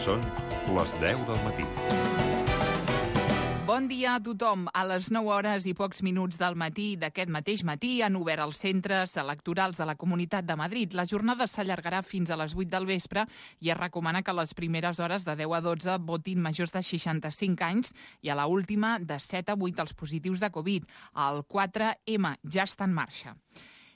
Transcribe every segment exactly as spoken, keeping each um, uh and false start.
Són les deu del matí. Bon dia a tothom. A les nou hores i pocs minuts del matí d'aquest mateix matí han obert els centres electorals de la Comunitat de Madrid. La jornada s'allargarà fins a les vuit del vespre i es recomana que a les primeres hores de deu a dotze votin majors de seixanta-cinc anys i a la última de set a vuit els positius de Covid. El quatre ema ja està en marxa.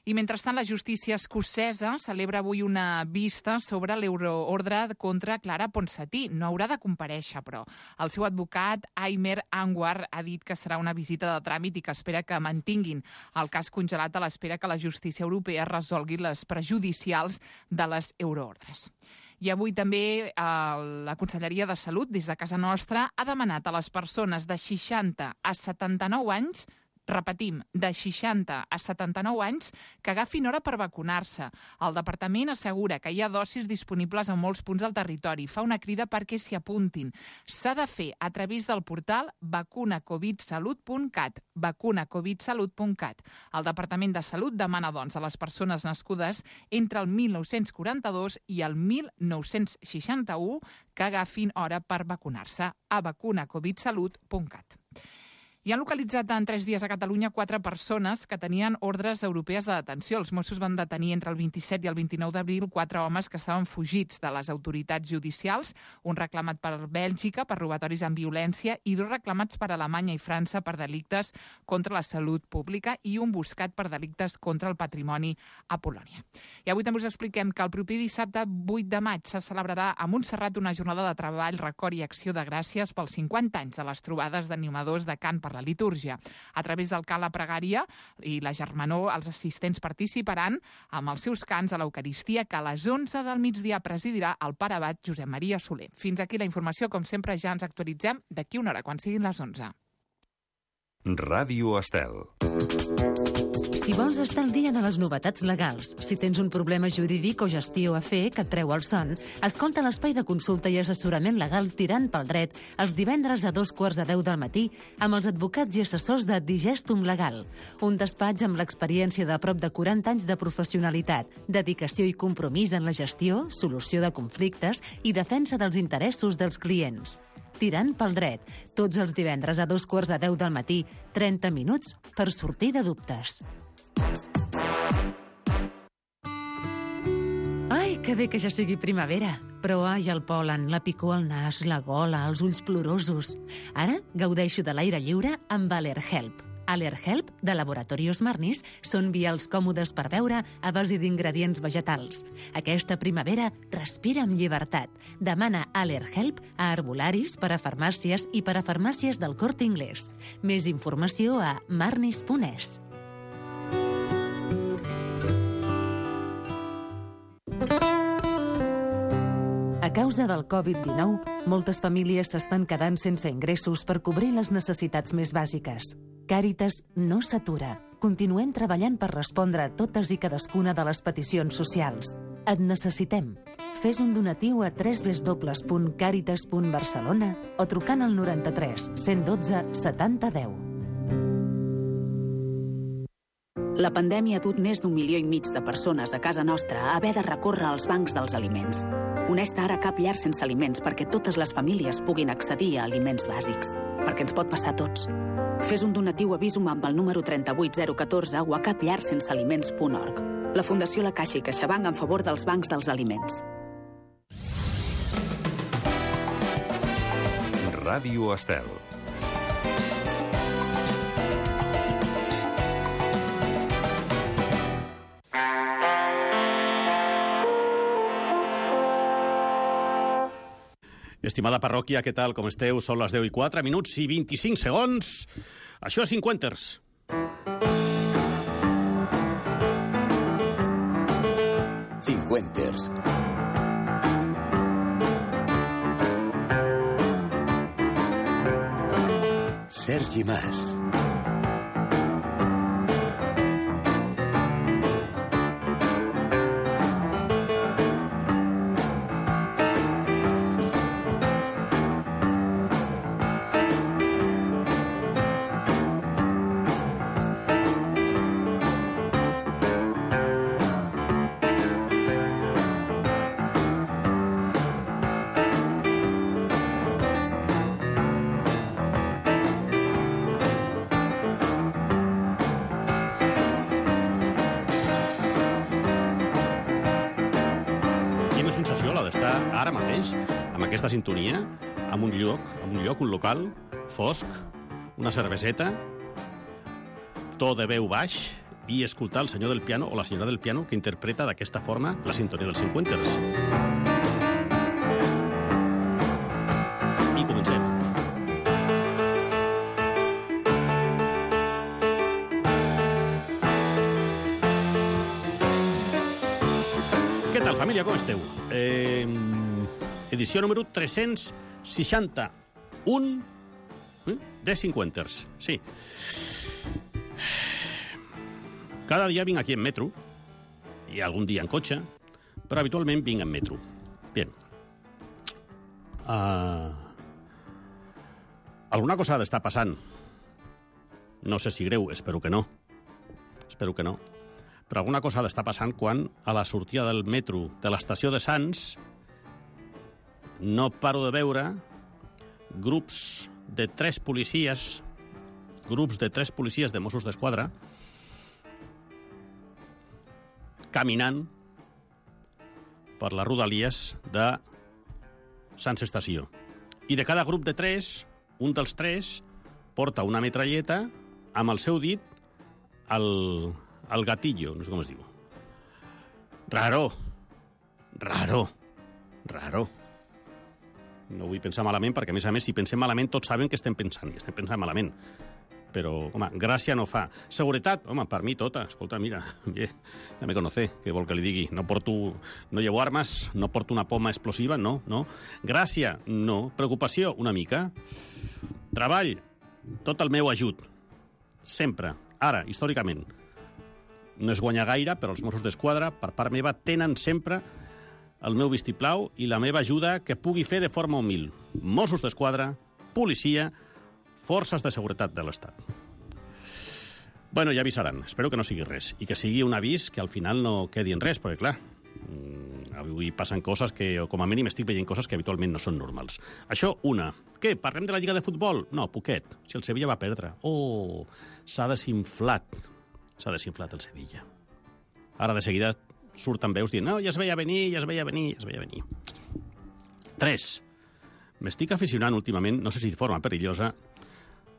I mentrestant, la justícia escocesa celebra avui una vista sobre l'euroordre contra Clara Ponsatí. No haurà de comparèixer, però. El seu advocat, Aimer Anwar, ha dit que serà una visita de tràmit i que espera que mantinguin el cas congelat a l'espera que la justícia europea resolgui les prejudicials de les euroordres. I avui també eh, la Conselleria de Salut, des de casa nostra, ha demanat a les persones de seixanta a setanta-nou anys, repetim, de seixanta a setanta-nou anys, que agafin hora per vacunar-se. El departament assegura que hi ha dosis disponibles a molts punts del territori. Fa una crida perquè s'hi apuntin. S'ha de fer a través del portal vacuna covid salut punt cat, vacuna covid salut punt cat. El Departament de Salut demana, doncs, a les persones nascudes entre el mil nou-cents quaranta-dos i el mil nou-cents seixanta-u que agafin hora per vacunar-se a vacuna covid salut punt cat. I han localitzat en tres dies a Catalunya quatre persones que tenien ordres europees de detenció. Els Mossos van detenir entre el vint-i-set i el vint-i-nou d'abril quatre homes que estaven fugits de les autoritats judicials, un reclamat per Bèlgica per robatoris amb violència i dos reclamats per Alemanya i França per delictes contra la salut pública i un buscat per delictes contra el patrimoni a Polònia. I avui també us expliquem que el proper dissabte vuit de maig se celebrarà a Montserrat una jornada de treball, record i acció de gràcies pels cinquanta anys de les trobades d'animadors de cant per la litúrgia. A través del cant La Pregària i la Germanor, els assistents participaran amb els seus cants a l'Eucaristia, que a les onze del migdia presidirà el pare abat Josep Maria Soler. Fins aquí la informació. Com sempre, ja ens actualitzem d'aquí una hora, quan siguin les onze. Ràdio Estel. Si vols estar al dia de les novetats legals, si tens un problema jurídic o gestió a fer que et treu el son, escolta l'espai de consulta i assessorament legal Tirant pel Dret els divendres a dos quarts de deu del matí amb els advocats i assessors de Digestum Legal, un despatx amb l'experiència de prop de quaranta anys de professionalitat, dedicació i compromís en la gestió, solució de conflictes i defensa dels interessos dels clients. Tirant pel Dret, tots els divendres a dos quarts de deu del matí, trenta minuts per sortir de dubtes. Ai, que bé que ja sigui primavera. Però ai, el pol·len, la picor al nas, la gola, els ulls plorosos. Ara gaudeixo de l'aire lliure amb Allerhelp. Allerhelp, de Laboratorios Marnis, són vials còmodes per beure a base d'ingredients vegetals. Aquesta primavera respira amb llibertat. Demana Allerhelp a herbolaris, per a farmàcies i per a farmàcies del Corte Inglés. Més informació a marnis punt es. A causa del covid dinou, moltes famílies s'estan quedant sense ingressos per cobrir les necessitats més bàsiques. Càritas no s'atura. Continuem treballant per respondre a totes i cadascuna de les peticions socials. Et necessitem. Fes un donatiu a w w w punt càritas punt barcelona o trucant al noranta-tres cent dotze setanta deu. La pandèmia ha dut més d'un milió i mig de persones a casa nostra a haver de recórrer als bancs dels aliments. Uneix-te ara a Cap Llar Sense Aliments perquè totes les famílies puguin accedir a aliments bàsics. Perquè ens pot passar a tots. Fes un donatiu a Visum amb el número trenta-vuit zero catorze o a cap llar sense aliments punt org. La Fundació La Caixa i CaixaBank en favor dels bancs dels aliments. Ràdio Estel. Estimada parròquia, què tal, com esteu? Són les deu i quatre minuts i vint-i-cinc segons. Això és Cinquenters. Cinquenters. Sergi Mas. ara mateix, amb aquesta sintonia, en un lloc, en un lloc, un local, fosc, una cerveseta, to de veu baix, i escoltar el senyor del piano o la senyora del piano que interpreta d'aquesta forma la sintonia dels cinquanters. I comencem. Què tal, família? Com esteu? Eh, edició número tres-cents seixanta-un eh, de cinquanters. Sí. Cada dia vinc aquí en metro, i algun dia en cotxe, però habitualment vinc en metro. Bien. Uh, alguna cosa ha d'estar passant. No sé si greu, espero que no. Espero que no. Però alguna cosa ha d'estar passant quan a la sortida del metro de l'estació de Sants no paro de veure grups de tres policies, grups de tres policies de Mossos d'Esquadra caminant per les rodalies de Sants Estació. I de cada grup de tres, un dels tres porta una metralleta amb el seu dit al, al gatillo, no sé com es diu. Raro. Raro. Raro. No vull pensar malament, perquè, a més a més, si pensem malament, tots saben que estem pensant, i estem pensant malament. Però, home, gràcia no fa. Seguretat, home, per mi tota. Escolta, mira, ja me conoce, què vol que li digui? No porto, no llevo armes, no porto una poma explosiva, no, no. Gràcia, no. Preocupació, una mica. Treball, tot el meu ajut. Sempre. Ara, històricament. No es guanya gaire, però els Mossos d'Esquadra, per part meva, tenen sempre el meu vistiplau i la meva ajuda que pugui fer de forma humil. Mossos d'Esquadra, policia, forces de seguretat de l'Estat. Bueno, ja avisaran. Espero que no sigui res. I que sigui un avís que al final no quedi en res, perquè, clar, avui passen coses que, o com a mínim estic veient coses que habitualment no són normals. Això, una. Què? Parlem de la Lliga de Futbol? No, poquet. Si el Sevilla va perdre. Oh, s'ha desinflat. S'ha desinflat el Sevilla. Ara de seguida surten veus dient no, ja es veia venir, ja es veia venir, ja es veia venir. Tres. M'estic aficionant últimament, no sé si de forma perillosa,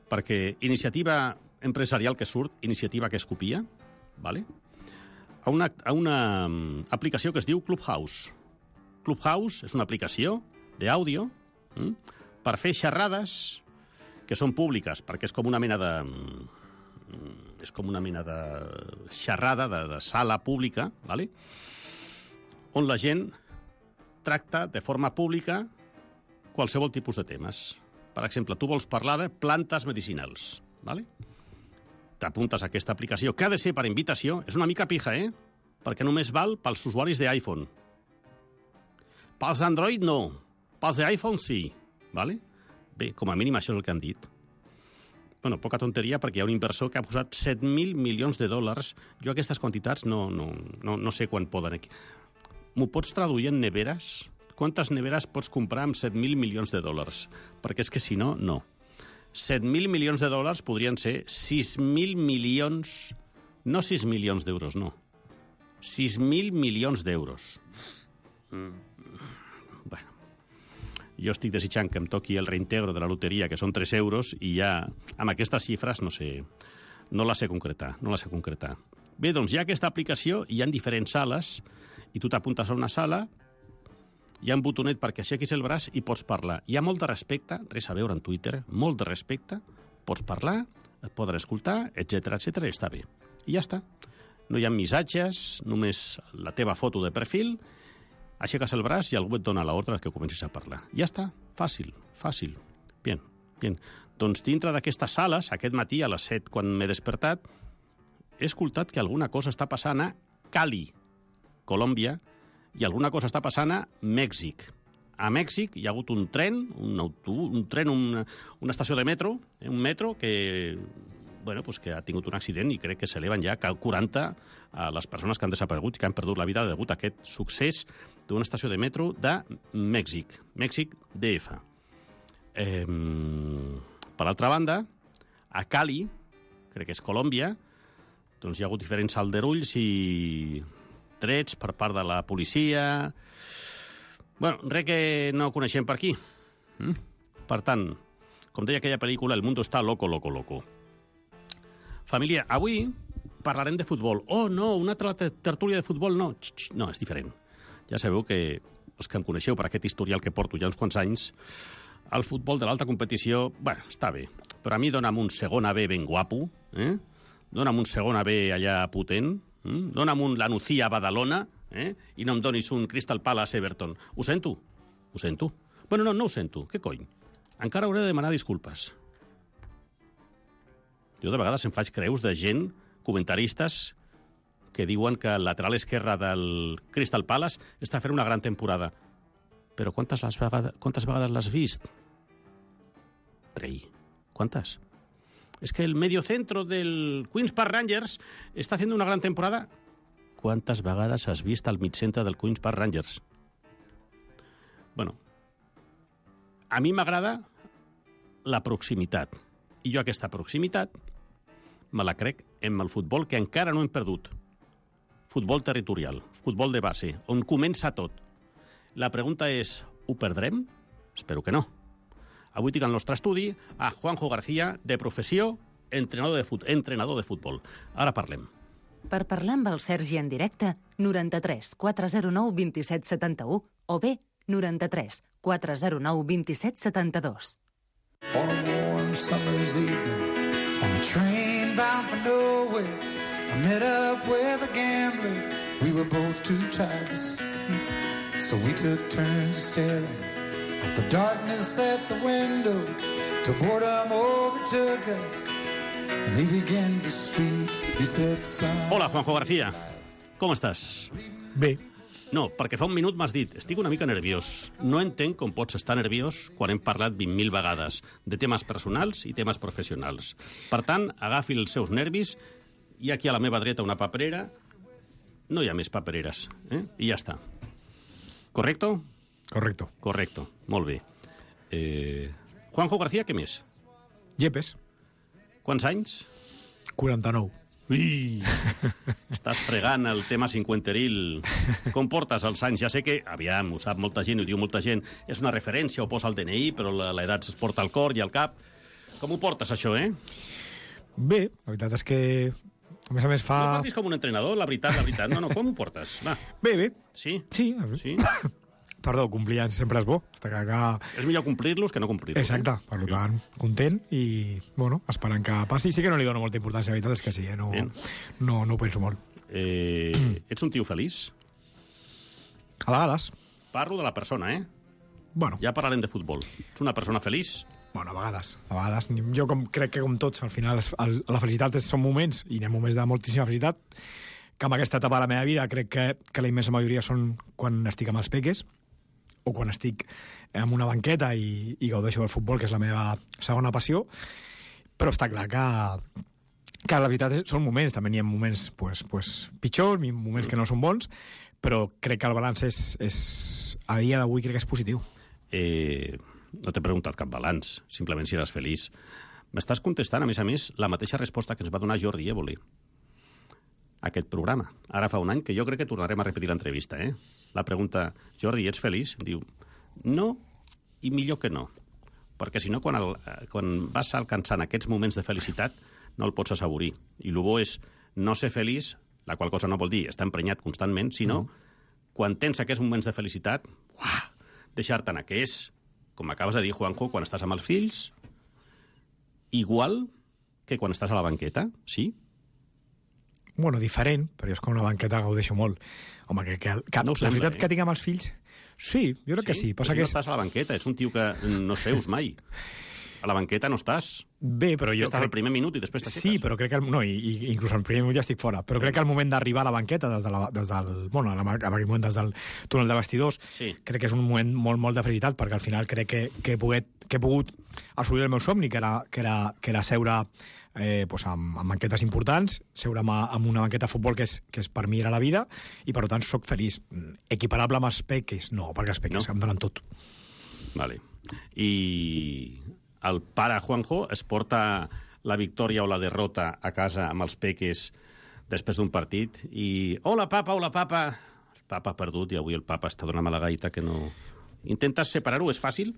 perquè iniciativa empresarial que surt, iniciativa que es copia, ¿vale? a, una, a una aplicació que es diu Clubhouse. Clubhouse és una aplicació d'àudio hm, per fer xerrades que són públiques, perquè és com una mena de... és com una mena de xerrada, de, de sala pública, ¿vale? On la gent tracta de forma pública qualsevol tipus de temes. Per exemple, tu vols parlar de plantes medicinals, ¿vale? T'apuntes a aquesta aplicació, que ha de ser per invitació, és una mica pija, eh? Perquè només val pels usuaris d'iPhone. Pels Android no, pels d'iPhone sí, ¿vale? Bé, com a mínim això és el que han dit. Bueno, poca tonteria, perquè hi ha un inversor que ha posat set mil milions de dòlars. Jo aquestes quantitats no, no, no, no sé quan poden... M'ho pots traduir en neveres? Quantes neveres pots comprar amb set mil milions de dòlars? Perquè és que si no, no. set mil milions de dòlars podrien ser sis mil milions... No sis milions d'euros, no. sis mil milions d'euros. Mm. Bueno. Jo estic desitjant que em toqui el reintegro de la loteria, que són tres euros, i ja amb aquestes xifres no sé... No la sé concretar, no la sé concretar. Bé, doncs hi ha aquesta aplicació, hi ha diferents sales, i tu t'apuntes a una sala, hi ha un botonet perquè aixequis el braç i pots parlar. Hi ha molt de respecte, res a veure en Twitter, molt de respecte, pots parlar, et poden escoltar, etcètera, etcètera, i està bé. I ja està. No hi ha missatges, només la teva foto de perfil, aixeques el braç i algú et dona l'ordre que comencis a parlar. Ja està, fàcil, fàcil. Bien, bien. Doncs dintre d'aquestes sales, aquest matí a les set, quan m'he despertat, he escoltat que alguna cosa està passant a Cali, Colòmbia, i alguna cosa està passant a Mèxic. A Mèxic hi ha hagut un tren, un autobús, un tren, una, una estació de metro, eh, un metro que, bueno, pues que ha tingut un accident i crec que s'eleven ja quaranta a les persones que han desaparegut i que han perdut la vida degut a aquest succés d'una estació de metro de Mèxic, Mèxic D F. Eh, per altra banda, a Cali, crec que és Colòmbia, doncs hi ha hagut diferents aldarulls i trets per part de la policia. Bueno, res que no coneixem per aquí. Mm? Per tant, com deia aquella pel·lícula, el mundo està loco, loco, loco. Família, avui parlarem de futbol. Oh, no, una altra tertúlia de futbol, no. Xt, xt, no, és diferent. Ja sabeu que els que em coneixeu per aquest historial que porto ja uns quants anys, el futbol de l'alta competició, bueno, està bé, però a mi dona'm un segon A B ben guapo, eh? Dona'm un segon A B allà potent, eh? Dona'm un La Nucía a Badalona, eh? I no em donis un Crystal Palace Everton. Ho sento, ho sento. Bueno, no, no ho sento, què cony? Encara hauré de demanar disculpes. Jo de vegades em faig creus de gent, comentaristes, que diuen que el lateral esquerre del Crystal Palace està fent una gran temporada. Però quantes, les vegades, quantes vegades l'has vist? Rei, quantes? És que el mediocentro del Queen's Park Rangers està fent una gran temporada. Quantes vegades has vist el migcentre del Queen's Park Rangers? Bueno, a mi m'agrada la proximitat. I jo aquesta proximitat me la crec en el futbol que encara no hem perdut. Futbol territorial, futbol de base, on comença tot. La pregunta és, ho perdrem? Espero que no. Avui tinc al nostre estudi a Juanjo García, de professió, entrenador de, fut entrenador de futbol. Ara parlem. Per parlar amb el Sergi en directe, noranta-tres quatre zero nou dos set set u o bé noranta-tres quatre zero nou dos set set dos. On a warm summer's evening, on a train bound for nowhere, I met up with a gambler. We were both too tired to sleep, so we took turns staring at the darkness at the window till boredom overtook us. And he began to speak. He said, son... Hola, Juanjo García. Com estàs? Bé. No, perquè fa un minut m'has dit estic una mica nerviós. No entenc com pots estar nerviós quan hem parlat vint mil vegades de temes personals i temes professionals. Per tant, agafi els seus nervis i aquí a la meva dreta una paperera. No hi ha més papereres, eh? I ja està. Correcto? Correcto. Correcto, molt bé. Eh... Juanjo García, què més? Yepes. Quants anys? quaranta-nou. Ui! Estàs fregant el tema cinquanteril. Com portes els anys? Ja sé que, aviam, ho sap molta gent, ho diu molta gent, és una referència, ho posa al D N I, però l'edat es porta al cor i al cap. Com ho portes, això, eh? Bé, la veritat és que, a més a més, fa... No parlis com un entrenador, la veritat, la veritat. No, no, com ho portes? Va. Bé, bé. Sí? Sí. Sí? Perdó, complir anys sempre és bo. Està clar que... És millor complir-los que no complir-los. Exacte, eh? Per tant, content i, bueno, esperant que passi. Sí que no li dono molta importància, la veritat és que sí, eh? no, no, no ho penso molt. Eh, ets un tio feliç? A vegades. Parlo de la persona, eh? Bueno. Ja parlarem de futbol. Ets una persona feliç? Bueno, a vegades. A vegades. Jo com, crec que com tots, al final, el, la felicitat són moments, i hi ha moments de moltíssima felicitat, que en aquesta etapa de la meva vida crec que, que la immensa majoria són quan estic amb els peques, o quan estic en una banqueta i, i gaudeixo del futbol, que és la meva segona passió, però està clar que, que la veritat són moments, també n'hi ha moments pues, pues, pitjors, moments que no són bons, però crec que el balanç és, és a dia d'avui crec que és positiu. Eh, no t'he preguntat cap balanç, simplement si eres feliç. M'estàs contestant, a més a més, la mateixa resposta que ens va donar Jordi Évole a aquest programa. Ara fa un any que jo crec que tornarem a repetir l'entrevista, eh? La pregunta, Jordi, ets feliç? Diu, no, i millor que no. Perquè si no, quan, el, quan vas alcançant aquests moments de felicitat, no el pots assaborir. I el bo és no ser feliç, la qual cosa no vol dir estar emprenyat constantment, sinó mm. quan tens aquests moments de felicitat, uah, deixar-te anar, que és, com acabes de dir, Juanjo, quan estàs amb els fills, igual que quan estàs a la banqueta, sí? Bueno, diferent, però jo és com una banqueta gaudeixo molt. Home, que, que, que no la sembla, veritat eh? que tinc amb els fills... Sí, jo crec sí? que sí. Passa però que no estàs a la banqueta, ets un tio que no seus mai. A la banqueta no estàs. Bé, però jo... Estàs crec... al primer minut i després t'aixeques. Sí, però crec que... El... No, i, i inclús al primer minut ja estic fora. Però crec que el moment d'arribar a la banqueta, des, de la, des del... Bueno, en aquell moment des del túnel de vestidors, sí. Crec que és un moment molt, molt de felicitat, perquè al final crec que, que, he, pogut, que he pogut assolir el meu somni, que era, que era, que era seure eh, pues amb, amb banquetes importants, seure amb, amb una banqueta de futbol que és, que és per mi era la vida, i per tant sóc feliç. Equiparable amb els peques? No, perquè els peques no? Em donen tot. Vale. I el pare Juanjo es porta la victòria o la derrota a casa amb els peques després d'un partit i... Hola, papa, hola, papa. El Papa ha perdut i avui el papa està donant mala gaita que no... Intentes separar-ho? És fàcil?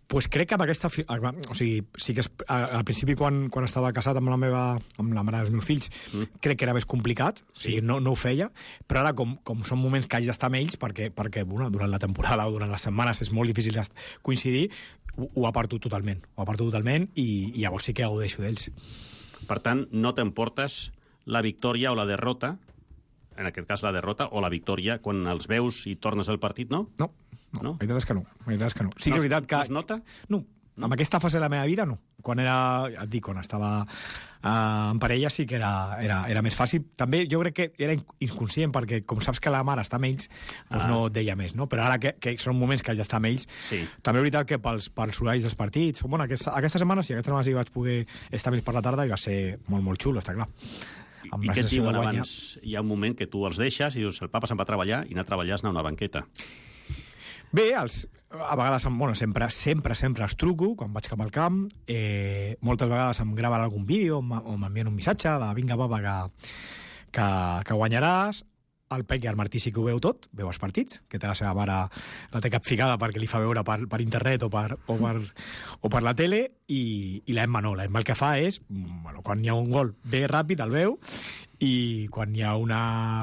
Pues crec que amb aquesta... O sigui, sí que és, al principi, quan, quan estava casat amb la meva, amb la mare dels meus fills, mm. crec que era més complicat, sí. o sigui, no, no ho feia, però ara, com, com són moments que haig d'estar amb ells, perquè, perquè bueno, durant la temporada o durant les setmanes és molt difícil coincidir, ho, ho aparto totalment. Ho aparto totalment i, i llavors sí que gaudeixo d'ells. Per tant, no t'emportes la victòria o la derrota, en aquest cas la derrota o la victòria, quan els veus i tornes al partit, no? No. No, no? La veritat és que no. La veritat és que no. Sí que és veritat que... No es nota? No. no. Amb aquesta fase de la meva vida, no. Quan era, et dic, quan estava eh, en parella sí que era, era, era més fàcil. També jo crec que era inconscient, perquè com saps que la mare està amb ells, doncs ah. no et deia més, no? Però ara que, que són moments que haig d'estar amb ells, sí. també és veritat que pels, pels horaris dels partits... Bueno, aquesta, aquesta setmana sí, aquesta setmana sí que vaig poder estar amb ells per la tarda i va ser molt, molt xulo, està clar. I què et diuen abans? Hi ha un moment que tu els deixes i dius, el papa se'n va a treballar i anar a treballar és anar a una banqueta. Bé, els, a vegades, bueno, sempre, sempre, sempre els truco quan vaig cap al camp. Eh, moltes vegades em graven algun vídeo o m'envien un missatge de vinga, papa, que, que, que guanyaràs. El Pec i el Martí sí que ho veu tot, veu els partits, que té la seva mare, la té capficada perquè li fa veure per, per internet o per, o, per, o per la tele, i, i l'Emma no. L'Emma el que fa és, bueno, quan hi ha un gol, ve ràpid, el veu, i quan hi ha una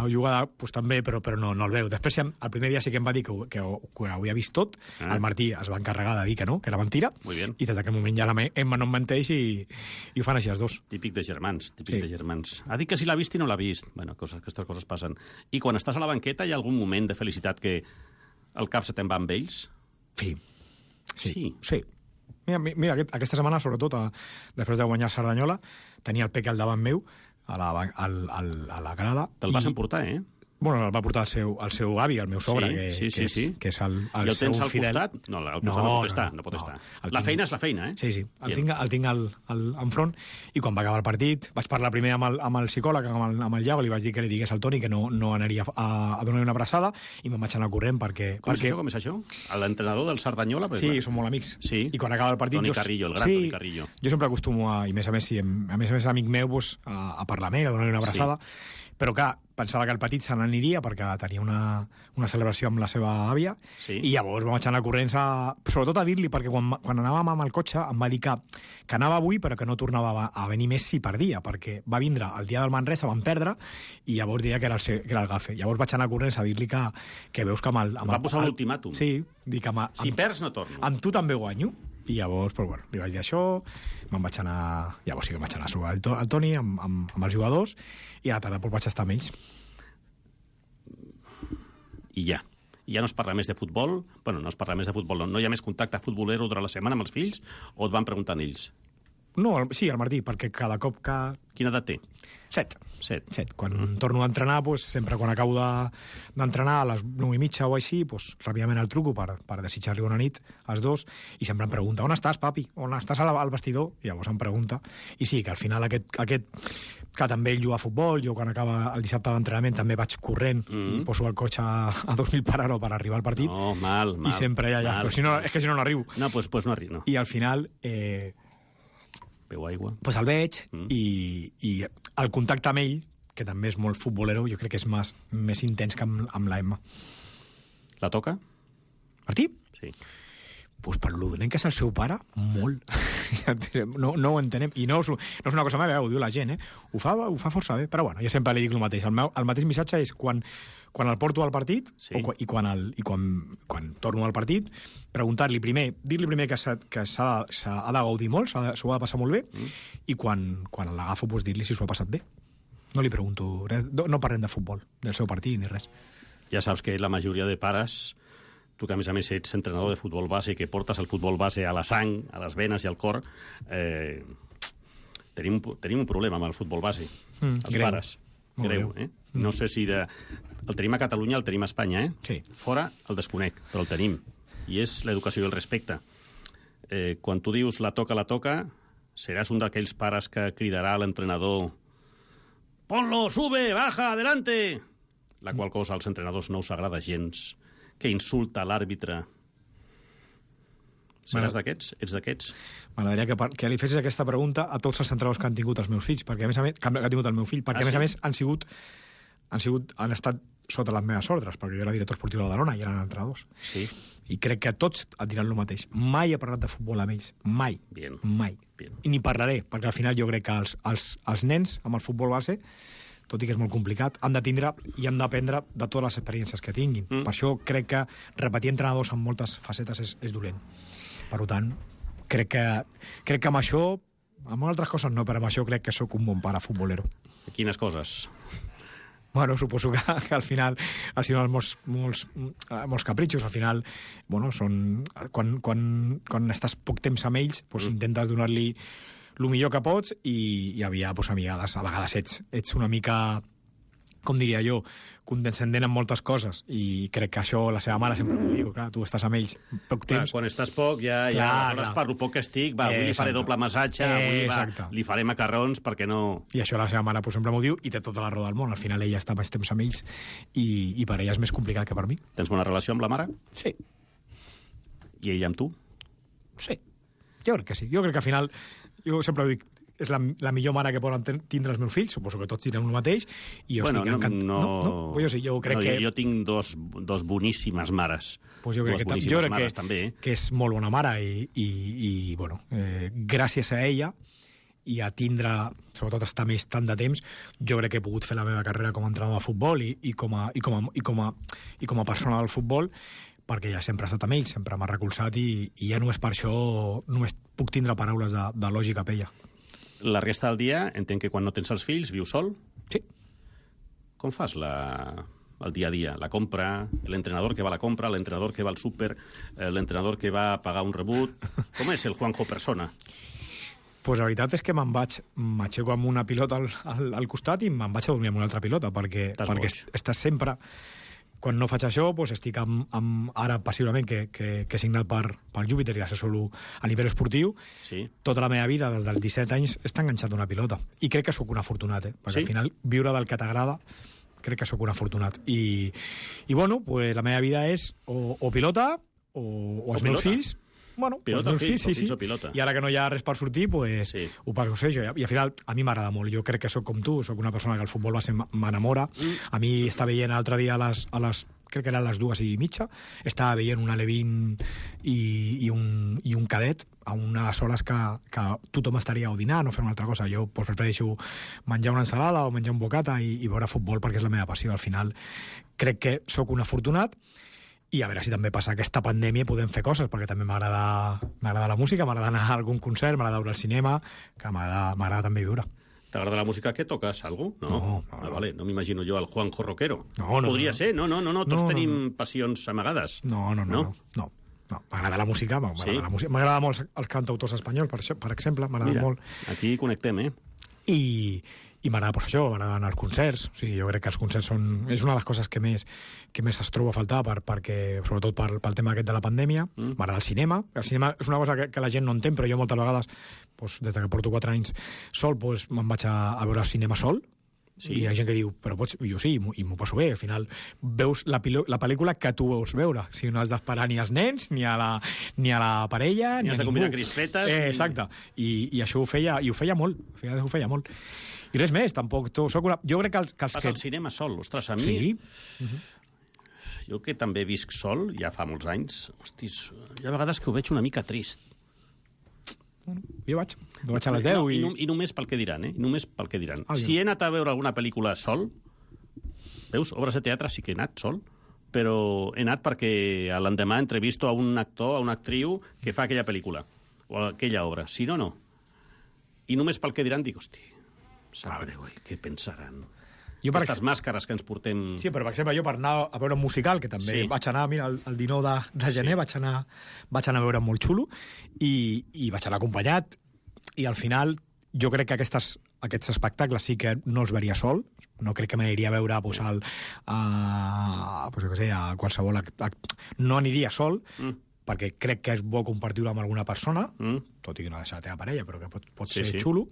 jugada, doncs també, però, però no, no el veu. Després, el primer dia sí que em va dir que, que, que ho havia vist tot, ah. el Martí es va encarregar de dir que no, que era mentira, i des d'aquell moment ja l'Emma no em menteix i, i ho fan així els dos. Típic de germans, típic sí. de germans. Ha dit que si l'ha vist i no l'ha vist. Bueno, coses, aquestes coses passen. I quan estàs a la banqueta hi ha algun moment de felicitat que el cap se te'n va amb ells? Sí. Sí. Sí. sí. Mira, mira aquest, aquesta setmana, sobretot, a, després de guanyar Cerdanyola, tenia el Pec al davant meu, a la, al, al, a la grada. Te'l vas emportar, eh? Bueno, el va portar el seu, el seu avi, el meu sogre, sí, que, sí, sí, que, és, sí. que és el, el I el seu tens al fidel. costat? No, al costat no, no pot estar. No, no pot no, estar. El la tinc... feina és la feina, eh? Sí, sí. El tinc, el tinc al, al, enfront, i quan va acabar el partit vaig parlar primer amb el, amb el psicòleg, amb el, amb el Iago, li vaig dir que li digués al Toni que no, no anaria a, a donar una abraçada, i me'n vaig anar corrent perquè... Com perquè... és això? Com és això? L'entrenador del Cerdanyola? Sí, són molt amics. Sí. I quan acaba el partit... Toni jo... Carrillo, el gran sí, Toni Carrillo. Jo sempre acostumo a, i més a més, si, a més a més amic meu, pues, a, a parlar amb ell, a donar una abraçada, sí. Però clar, pensava que el petit se n'aniria perquè tenia una, una celebració amb la seva àvia, sí. I llavors vam anar corrents a, sobretot a dir-li, perquè quan, quan anàvem amb el cotxe em va dir que, que anava avui però que no tornava a venir més si perdia, perquè va vindre el dia del Manresa, van perdre, i llavors deia que era el, que era el gafe. Llavors vaig anar corrents a dir-li que, que veus que amb el... Amb va posar l'ultimàtum. Sí, dic que amb, si amb, perds no torno. Amb tu també guanyo. I llavors, però, bueno, li vaig dir això, me'n vaig anar... Llavors sí que em vaig anar a jugar al Toni amb, amb, amb els jugadors, i a la tarda doncs, vaig estar amb ells. I ja. I ja no es parla més de futbol? Bueno, no es parla més de futbol, no, no hi ha més contacte futbolero durant la setmana amb els fills, o et van preguntant ells? No, el, sí, el Martí, perquè cada cop que... Quina edat té? Set. Set. Set. Quan mm. torno a entrenar, pues, sempre quan acabo d'entrenar de, a les nou i mitja o així, pues, ràpidament el truco per, per desitjar-li una nit als dos, i sempre em pregunta, on estàs, papi? On estàs al, al vestidor? I llavors em pregunta. I sí, que al final aquest, aquest que també ell juga a futbol, jo quan acaba el dissabte d'entrenament també vaig corrent mm. i poso el cotxe a, a dos mil per hora per arribar al partit. No, mal, mal. I sempre ja, ja. Mal, si no, és que si no, no arribo. No, doncs pues, pues no arribo. No. I al final... Eh, Veu aigua. Pues el veig mm. i, i el contacte amb ell, que també és molt futbolero, jo crec que és més, més intens que amb, amb la Emma. La toca? Martí? Sí. Pues per l'udent que és el seu pare, molt. no, no ho entenem. I no, no és una cosa meva, ho diu la gent, eh? Ho fa, ho fa força bé, però bueno, jo sempre li dic el mateix. El, meu, el mateix missatge és quan, quan el porto al partit, sí. o, i, quan, el, i quan, quan torno al partit, preguntar-li primer, dir-li primer que s'ha de gaudir molt, s'ho ha, ha de passar molt bé, mm. i quan, quan l'agafo, pues, dir-li si s'ho ha passat bé. No li pregunto res, no parlem de futbol, del seu partit ni res. Ja saps que la majoria de pares, tu que a més a més ets entrenador de futbol base, que portes el futbol base a la sang, a les venes i al cor, eh, tenim, tenim un problema amb el futbol base, mm, els greu. pares. Molt greu, greu. Eh? Mm. No sé si de... el tenim a Catalunya, el tenim a Espanya, eh? Sí. Fora el desconec, però el tenim. I és l'educació i el respecte. Eh, quan tu dius la toca, la toca, seràs un d'aquells pares que cridarà a l'entrenador «Ponlo, sube, baja, adelante!» La qual cosa als entrenadors no us agrada gens, que insulta l'àrbitre. Seràs d'aquests? Ets d'aquests? M'agradaria que, que li fessis aquesta pregunta a tots els entrenadors que han tingut els meus fills, perquè a més a més, que ha tingut el meu fill, perquè ah, a més sí? a més han sigut, han sigut, han estat sota les meves ordres, perquè jo era director esportiu de la Badalona i eren entrenadors. Sí. I crec que tots et diran el mateix. Mai he parlat de futbol amb ells. Mai. Bien. Mai. Bien. I ni parlaré, perquè al final jo crec que els, els, els nens amb el futbol base, tot i que és molt complicat, han de tindre i han d'aprendre de totes les experiències que tinguin. Mm. Per això crec que repetir entrenadors en moltes facetes és, és dolent. Per tant, crec que, crec que amb això, amb altres coses no, però amb això crec que sóc un bon pare futbolero. Quines coses? Bueno, suposo que, que al final al final molts, molts, molts capritxos, al final, bueno, són... Quan, quan, quan estàs poc temps amb ells, doncs mm. intentes donar-li el millor que pots i, i havia, doncs, a vegades, a vegades ets, ets una mica, com diria jo, condescendent en moltes coses, i crec que això la seva mare sempre m'ho diu, clar, tu estàs amb ells poc temps. Clar, quan estàs poc, ja, ja clar, clar. clar. Per lo poc que estic, va, avui li faré doble massatge, avui va, li faré macarrons, perquè no... I això la seva mare pues, sempre m'ho diu, i té tota la raó del món. Al final ella està més temps amb ells, i, i per ella és més complicat que per mi. Tens bona relació amb la mare? Sí. I ella amb tu? Sí. Jo crec que sí. Jo crec que al final, jo sempre ho dic, és la, la millor mare que poden tindre els meus fills, suposo que tots direm el mateix, i jo bueno, estic encantat. No, no, no, no, jo sí, jo crec no, que... Jo, jo tinc dos, dos boníssimes mares. Pues jo crec, Dues que, boníssimes jo crec mares, que, també. que és molt bona mare, i, i, i bueno, eh, gràcies a ella, i a tindre, sobretot estar més tant de temps, jo crec que he pogut fer la meva carrera com a entrenador de futbol i, i, com, a, i, com, a, i, com, a, i com a persona del futbol, perquè ja sempre he estat amb ell, sempre m'ha recolzat, i, i ja només per això només puc tindre paraules de, de lògica per ella. La resta del dia, entenc que quan no tens els fills, vius sol? Sí. Com fas la, el dia a dia? La compra, l'entrenador que va a la compra, l'entrenador que va al súper, eh, l'entrenador que va a pagar un rebut... Com és el Juanjo persona? Pues la veritat és que me'n vaig, m'aixeco amb una pilota al, al, al costat i me'n vaig a dormir amb una altra pilota, perquè, perquè estàs sempre... Quan no faig això, doncs estic amb, amb ara, passivament, que, que, que he signat per, per Júpiter i assessoro a nivell esportiu. Sí. Tota la meva vida, des dels disset anys, està enganxat una pilota. I crec que sóc un afortunat, eh? Perquè sí? al final, viure del que t'agrada, crec que sóc un afortunat. I, i bueno, pues, la meva vida és o, o pilota o, o, o els meus fills. Bueno, pilota, pues, fills, fills, sí, sí. pilota. I ara que no hi ha res per sortir, pues, sí. ho pago ser jo. I al final, a mi m'agrada molt. Jo crec que sóc com tu, sóc una persona que el futbol base m'enamora. Mm. A mi està veient l'altre dia a les, a les crec que eren les dues i mitja, estava veient un alevín i, i, un, i un cadet a unes hores que, que tothom estaria o dinar, no fer una altra cosa. Jo pues, prefereixo menjar una ensalada o menjar un bocata i, i veure futbol perquè és la meva passió. Al final crec que sóc un afortunat i a veure si també passa aquesta pandèmia i podem fer coses, perquè també m'agrada la música, m'agrada anar a algun concert, m'agrada veure el cinema, que m'agrada també viure. ¿T'agrada la música que tocas? ¿Algo? No, no, no, ah, vale. No m'imagino jo el Juanjo rockero. No, no, Podria no. ser, no, no, no, no. tots no, tenim no. passions amagades. No, no, no, no. no. no. M'agrada la música, m'agrada sí? la música. M'agrada molt els cantautors espanyols, per, això, per exemple, m'agrada molt. Aquí connectem, eh? I, i m'agrada pues, això, m'agrada anar als concerts. O sigui, jo crec que els concerts són... És una de les coses que més, que més es troba a faltar, per, perquè, sobretot per, pel tema aquest de la pandèmia. Mm. M'agrada el cinema. El cinema és una cosa que, que la gent no entén, però jo moltes vegades, pues, des que porto quatre anys sol, pues, me'n vaig a, a veure cinema sol. Sí. I hi ha gent que diu, però pots... Jo sí, i m'ho passo bé. Al final veus la, la pel·lícula que tu veus veure. O sigui, no has d'esperar ni als nens, ni a la, ni a la parella, ni, ni has a de ningú. combinar crispetes. Eh, exacte. I, I això ho feia, i ho feia molt. Ho feia molt. I res més, tampoc. Tu, soc una... Jo crec que els, que els Vas que... al cinema sol, ostres, a mi... Sí. Uh-huh. Jo que també visc sol, ja fa molts anys, hostis, hi ha vegades que ho veig una mica trist. Bueno, jo vaig. Jo vaig a les deu no, i... I, no, I només pel que diran, eh? Només pel que diran. Ah, si he anat a veure alguna pel·lícula sol, veus, obres de teatre sí que he anat sol, però he anat perquè l'endemà he entrevisto a un actor, a una actriu que fa aquella pel·lícula, o aquella obra. Si no, no. I només pel que diran dic, hosti, sap greu, eh? Què pensaran? Jo per Aquestes ex... màscares que ens portem... Sí, però per exemple, jo per anar a veure un musical, que també sí. vaig anar, mira, el, el dinou de, de gener, sí. vaig, anar, vaig anar a veure molt xulo, i, i vaig anar acompanyat, i al final jo crec que aquestes, aquests espectacles sí que no els veria sol, no crec que m'aniria a veure pues, al, a, pues, jo què sé, a qualsevol... A, no aniria sol, mm. perquè crec que és bo compartir-ho amb alguna persona, mm. tot i que no ha de ser la teva parella, però que pot, pot sí, ser sí. xulo.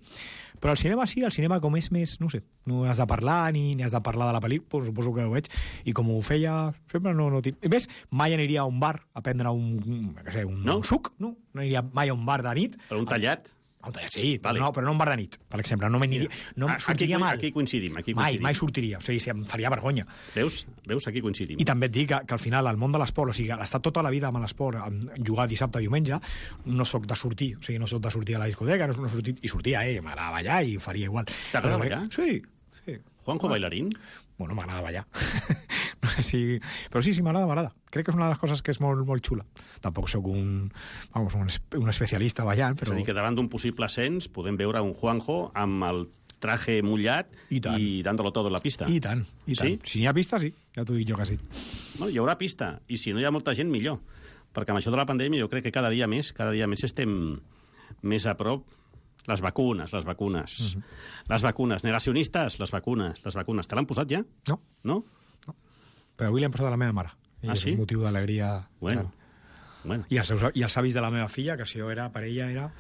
Però al cinema sí, al cinema com és més, no sé, no has de parlar ni, ni has de parlar de la pel·lícula, pues, suposo que ho veig, i com ho feia, sempre no... no I més, mai aniria a un bar a prendre un, un, què sé, un, no? un suc, no? No aniria mai a un bar de nit. Per un tallat? Sí, Vale. no, però no un bar de nit, per exemple. No m'aniria, no em Aquí, sortiria aquí, mal. aquí coincidim. Aquí Mai, coincidim. mai sortiria. O sigui, em faria vergonya. Veus? Veus? Aquí coincidim. I també et dic que, que al final el món de l'esport, o sigui, estar tota la vida amb l'esport, amb jugar dissabte, diumenge, no sóc de sortir, o sigui, no sóc de sortir a la discoteca, no sóc de sortir, i sortia, eh, m'agrada ballar i ho faria igual. T'agrada Però, ballar? Sí, sí. Juanjo bailarín? Bueno, m'agrada ballar. No sé si... Però sí, sí, m'agrada, m'agrada. Crec que és una de les coses que és molt, molt xula. Tampoc sóc un, vamos, un, es- un especialista ballant, És però... a dir, que davant d'un possible ascens podem veure un Juanjo amb el traje mullat I tant. i dándolo todo en la pista. I tant, i tant. Sí? Si n'hi ha pista, sí. Ja t'ho dic jo que sí. Bueno, hi haurà pista, i si no hi ha molta gent, millor. Perquè amb això de la pandèmia jo crec que cada dia més, cada dia més estem més a prop. Les vacunes, les vacunes. Uh -huh. Les vacunes. Negacionistes, les vacunes, les vacunes. Te l'han posat ja? No, No? però avui l'hem posat a la meva mare. I Ah, és sí? un motiu d'alegria. Bueno. gran. Bueno. I els, seus, I els avis de la meva filla, que si jo era per ella, era...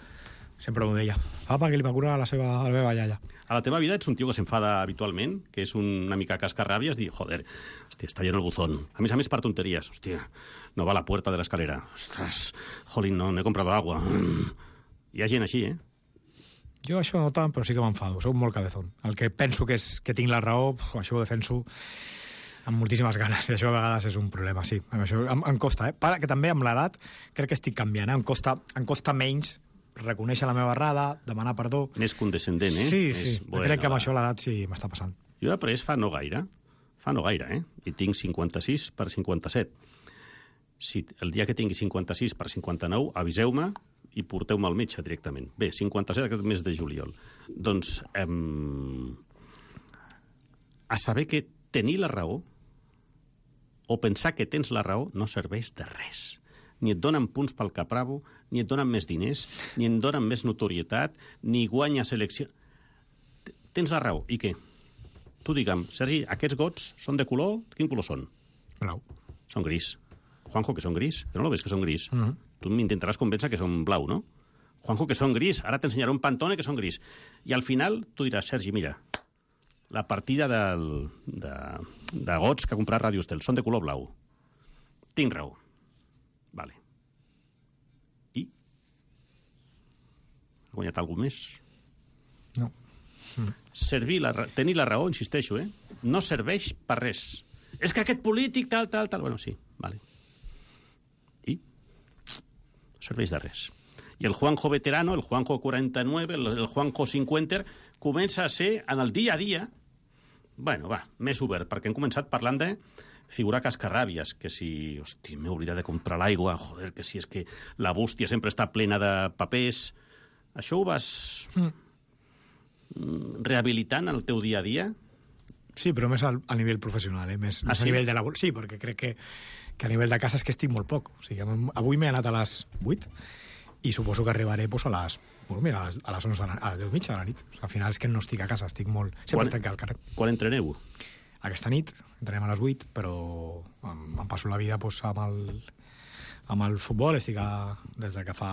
Sempre m'ho deia. Papa, que li va curar a la seva, a la meva iaia. A la teva vida ets un tio que s'enfada habitualment, que és una mica cascarràbies, dir, joder, hòstia, està lleno el buzón. A més a més, per tonteries. Hòstia, no va a la puerta de la escalera. Ostras, jolín, no, no he comprado agua. Mm. Hi ha gent així, eh? Jo això no tant, però sí que m'enfado. Soc molt cabezón. El que penso que, és, que tinc la raó, pf, això ho defenso amb moltíssimes ganes, i això a vegades és un problema, sí. Això em, em costa, eh? Para, que també amb l'edat crec que estic canviant, eh? Em costa, em costa menys reconèixer la meva errada, demanar perdó. Més condescendent, eh? Sí, Més, sí. bueno, crec que amb va. això l'edat sí m'està passant. Jo he après fa no gaire, fa no gaire, eh? I tinc cinquanta-sis per cinquanta-set. Si el dia que tingui cinquanta-sis per cinquanta-nou, aviseu-me i porteu-me al metge directament. Bé, cinquanta-set aquest mes de juliol. Doncs, em... a saber que tenir la raó o pensar que tens la raó no serveix de res. Ni et donen punts pel capravo, ni et donen més diners, ni et donen més notorietat, ni guanyes elecció... T- Tens la raó, i què? Tu digue'm, Sergi, aquests gots són de color? Quin color són? Blau. Són gris. Juanjo, que són gris? Que no lo ves, que són gris? Mhm. Tu m'intentaràs convèncer que són blau, no? Juanjo, que són gris. Ara t'ensenyaré un pantone que són gris. I al final tu diràs, Sergi, mira, la partida del, de, de gots que ha comprat Radio Estel són de color blau. Tinc raó. Vale. I? Ha guanyat algú més? No. Servir la, ra- tenir la raó, insisteixo, eh? No serveix per res. És que aquest polític, tal, tal, tal... Bueno, sí, vale. I? No serveix de res. I el Juanjo veterano, el Juanjo quaranta-nueve, el, el Juanjo cinquanta, comença a ser, en el dia a dia, bueno, va, més obert, perquè hem començat parlant de figurar cascarràbies, que si, hosti, m'he oblidat de comprar l'aigua, joder, que si és que la bústia sempre està plena de papers... Això ho vas mm. rehabilitant en el teu dia a dia? Sí, però més al, a nivell professional, eh? més, Ah, més sí? a nivell de labor. Sí, perquè crec que, que a nivell de casa és que estic molt poc. O sigui, am- avui m'he anat a les vuit i suposo que arribaré pues, a les, bueno, mira, a les, a les onze, de la- a les deu i mitja de la nit. O sigui, al final és que no estic a casa, estic molt... Sempre Quan- estic al carrer. Quan entreneu? Aquesta nit entrenem a les vuit, però em, em passo la vida pues, amb, el, amb el futbol. Estic a, des de que fa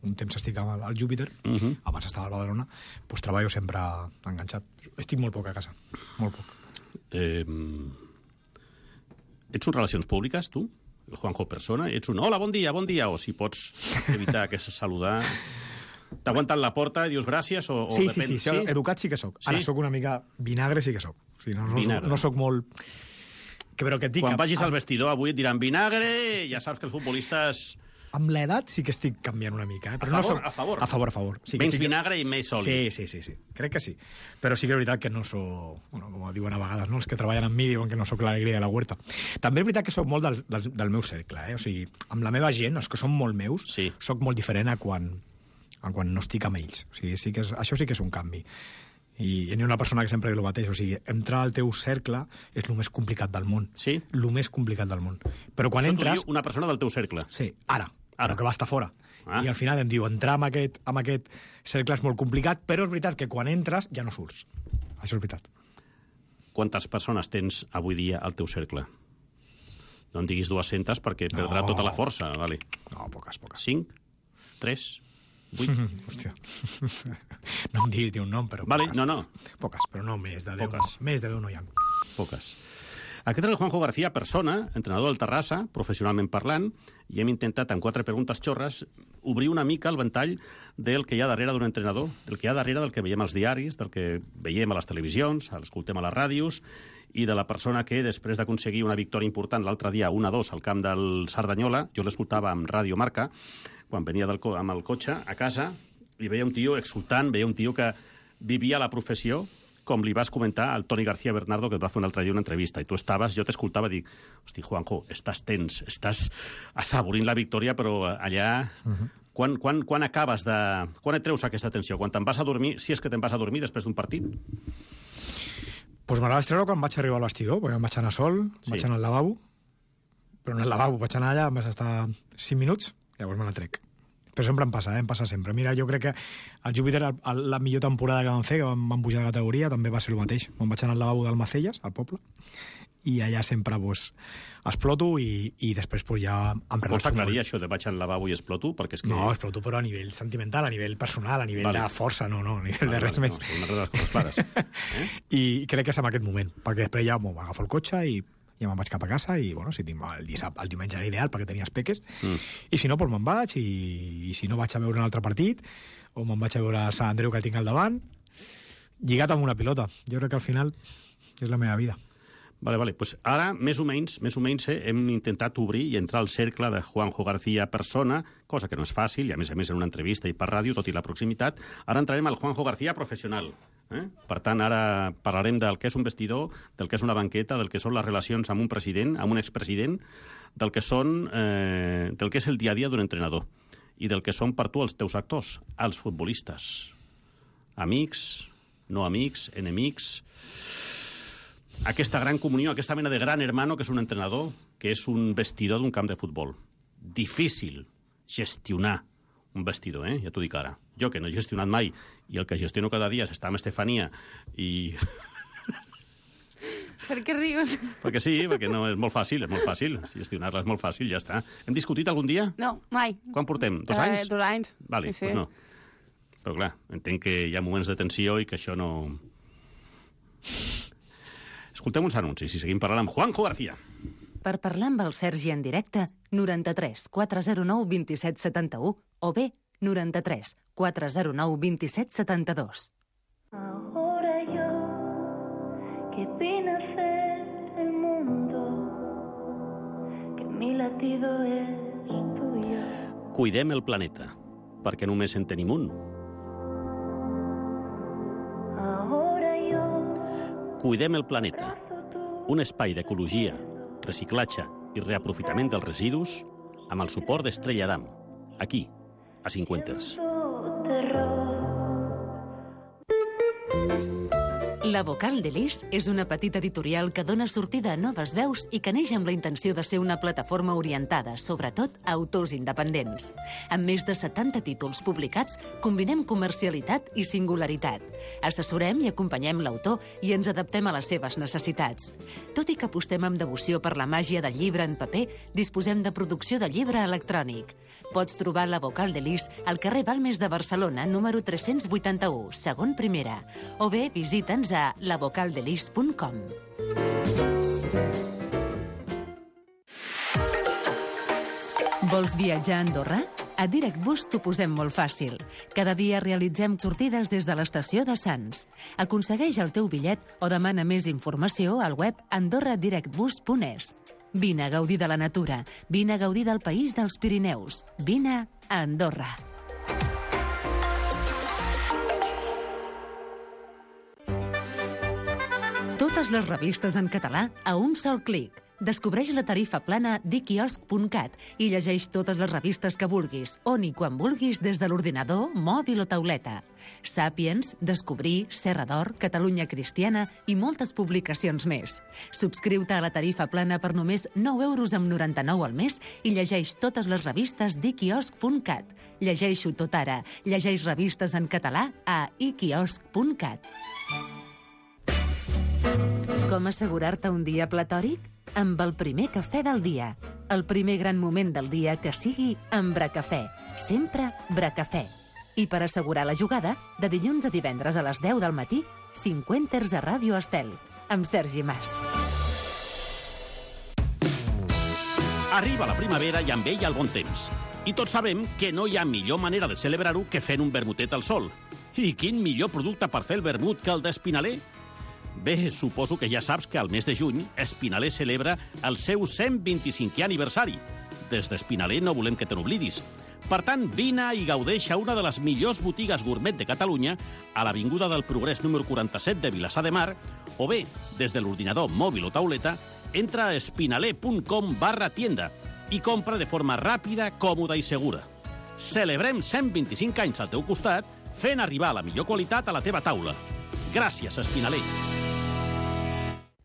un temps estic al, al Júpiter, Uh -huh. abans estava al Badalona, pues, treballo sempre enganxat. Estic molt poc a casa, molt poc. Eh, ets un relacions públiques, tu? El Juanjo persona? Ets un hola, bon dia, bon dia? O si pots evitar que saludar... T'aguanten la porta i dius gràcies o, o Sí, depèn... sí, sí, sí, educat sí que sóc. Ara Sí? sóc una mica vinagre, sí que sóc. O sigui, no, no, Vinagre. soc, no sóc molt... Que, però que et dic... Quan que vagis al amb, vestidor avui et diran vinagre, ja saps que els futbolistes... amb l'edat sí que estic canviant una mica. Eh? Però A no favor, soc... a favor. A favor, a favor. Sí, que Menys sí que... vinagre i més oli. Sí, sí, sí, sí. Crec que sí. Però sí que és veritat que no sóc... Bueno, com diuen a vegades, no? Els que treballen amb mi diuen que no sóc l'alegria de la huerta. També és veritat que sóc molt del, del, del meu cercle, eh? O sigui, amb la meva gent, els que són molt meus, Sí. sóc molt diferent a quan, a quan no estic amb ells. O sigui, sí que és, això sí que és un canvi. I hi ha una persona que sempre diu el mateix, o sigui, entrar al teu cercle és el més complicat del món. Sí? El més complicat del món. Però quan Això t'ho entres... diu una persona del teu cercle. Sí, ara, Ara. ara. que va estar fora. Ah. I al final em diu, entrar en aquest, en aquest cercle és molt complicat, però és veritat que quan entres ja no surts. Això és veritat. Quantes persones tens avui dia al teu cercle? No en diguis dues-centes perquè No. perdrà tota la força. Vale. No, poques, poques. Cinc? Tres? Vuit? Hòstia. No em diguis ni un nom, però Vale, poques. no, no. Poques, però no més de deu. Poques. No. Més de deu no hi ha. Poques. Aquest és el Juanjo García, persona, entrenador del Terrassa, professionalment parlant, i hem intentat, en quatre preguntes xorres, obrir una mica el ventall del que hi ha darrere d'un entrenador, del que hi ha darrere del que veiem als diaris, del que veiem a les televisions, l'escoltem a les ràdios, i de la persona que, després d'aconseguir una victòria important l'altre dia, un a dos, al camp del Cerdanyola, jo l'escoltava amb Ràdio Marca, quan venia del co amb el cotxe a casa, i veia un tio exultant, veia un tio que vivia la professió, com li vas comentar al Toni García Bernardo, que et va fer un altre dia una entrevista, i tu estaves, jo t'escoltava i dic, hosti, Juanjo, estàs tens, estàs assaborint la victòria, però allà... Uh-huh. Quan, quan, quan acabes de... Quan et treus aquesta tensió? Quan te'n vas a dormir, si és que te'n vas a dormir després d'un partit? Pues me la vaig treure quan vaig arribar al vestidor, perquè em vaig anar sol, sí. Vaig anar al lavabo, però no al lavabo, vaig anar allà, em vaig estar cinc minuts, llavors me la trec. Però sempre em passa, eh? Em passa sempre. Mira, jo crec que el Júpiter, la millor temporada que vam fer, que vam, vam pujar de categoria, també va ser el mateix. Me'n vaig anar al lavabo d'Almacelles, al poble, i allà sempre pues, exploto i, i després pues, ja em relaxo. Vols aclarir això de vaig al lavabo i exploto? Perquè és que... No, exploto però a nivell sentimental, a nivell personal, a nivell vale. de força, no, no, a nivell vale, de res vale, més. No, una de les coses clares. Eh? I crec que és en aquest moment, perquè després ja m'agafo el cotxe i ja me'n vaig cap a casa i, bueno, si tinc el, dissabte, el diumenge era ideal perquè tenies peques, mm. i si no, doncs me'n vaig, i, i si no vaig a veure un altre partit, o me'n vaig a veure el Sant Andreu que tinc al davant, lligat amb una pilota. Jo crec que al final és la meva vida. Vale, vale. Pues ara, més o menys, més o menys eh, hem intentat obrir i entrar al cercle de Juanjo García persona, cosa que no és fàcil, i a més a més en una entrevista i per ràdio, tot i la proximitat. Ara entrarem al Juanjo García professional. Eh? Per tant, ara parlarem del que és un vestidor, del que és una banqueta, del que són les relacions amb un president, amb un expresident, del que són, eh, del que és el dia a dia d'un entrenador i del que són per tu els teus actors, els futbolistes. Amics, no amics, enemics... Aquesta gran comunió, aquesta mena de gran hermano que és un entrenador, que és un vestidor d'un camp de futbol. Difícil gestionar un vestidor, eh? Ja t'ho dic ara. Jo, que no he gestionat mai, i el que gestiono cada dia és estar amb Estefania i... Per què rius? Perquè sí, perquè no, és molt fàcil, és molt fàcil. Gestionar-la és molt fàcil, ja està. Hem discutit algun dia? No, mai. Quan portem? Dos eh, anys? Dos anys. Vale, sí, sí. Pues no. Però clar, entenc que hi ha moments de tensió i que això no... Escoltem uns anuncis i seguim parlant amb Juanjo García. Per parlar amb el Sergi en directe, noranta-tres quatre zero nou vint set setanta-u o bé noranta-tres quatre zero nou vint set setanta-dos. Ahora yo, que vine a ser el mundo, que mi latido es tuyo. Cuidem el planeta, perquè només en tenim un. Cuidem el planeta, un espai d'ecologia, reciclatge i reaprofitament dels residus amb el suport d'Estrella Damm, aquí, a Cinquenters. La Vocal de Lis és una petita editorial que dona sortida a noves veus i que neix amb la intenció de ser una plataforma orientada, sobretot, a autors independents. Amb més de setanta títols publicats, combinem comercialitat i singularitat. Assessorem i acompanyem l'autor i ens adaptem a les seves necessitats. Tot i que apostem amb devoció per la màgia del llibre en paper, disposem de producció de llibre electrònic. Pots trobar La Vocal de Lis al carrer Balmes de Barcelona, número tres-cents vuitanta-u, segon primera, o bé visita'ns a la vocal de lis punt com. Vols viatjar a Andorra? A DirectBus t'ho posem molt fàcil. Cada dia realitzem sortides des de l'estació de Sants. Aconsegueix el teu bitllet o demana més informació al web andorra direct bus punt es. Vine a gaudir de la natura, vine a gaudir del país dels Pirineus, vine a Andorra. Totes les revistes en català a un sol clic. Descobreix la tarifa plana d'iquiosc punt cat i llegeix totes les revistes que vulguis, on i quan vulguis des de l'ordinador, mòbil o tauleta. Sàpiens, Descobrir, Serra d'Or, Catalunya Cristiana i moltes publicacions més. Subscriu-te a la tarifa plana per només nou euros amb noranta-nou al mes i llegeix totes les revistes d'iquiosc punt cat. Llegeix-ho tot ara. Llegeix revistes en català a iquiosc punt cat. Com assegurar-te un dia platòric? Amb el primer cafè del dia. El primer gran moment del dia que sigui amb Bracafè. Sempre Bracafè. I per assegurar la jugada, de dilluns a divendres a les deu del matí, Cinquenters a Ràdio Estel, amb Sergi Mas. Arriba la primavera i amb ella el bon temps. I tots sabem que no hi ha millor manera de celebrar-ho que fent un vermutet al sol. I quin millor producte per fer el vermut que el d'Espinaler? Bé, suposo que ja saps que al mes de juny Espinaler celebra el seu cent vint-i-cinquè aniversari. Des d'Espinaler no volem que te n'oblidis. Per tant, vine i gaudeix a una de les millors botigues gourmet de Catalunya, a l'Avinguda del Progrés número quaranta-set de Vilassar de Mar, o bé, des de l'ordinador mòbil o tauleta, entra a espinaler punt com barra tienda i compra de forma ràpida, còmoda i segura. Celebrem cent vint-i-cinc anys al teu costat, fent arribar la millor qualitat a la teva taula. Gràcies, Espinaler.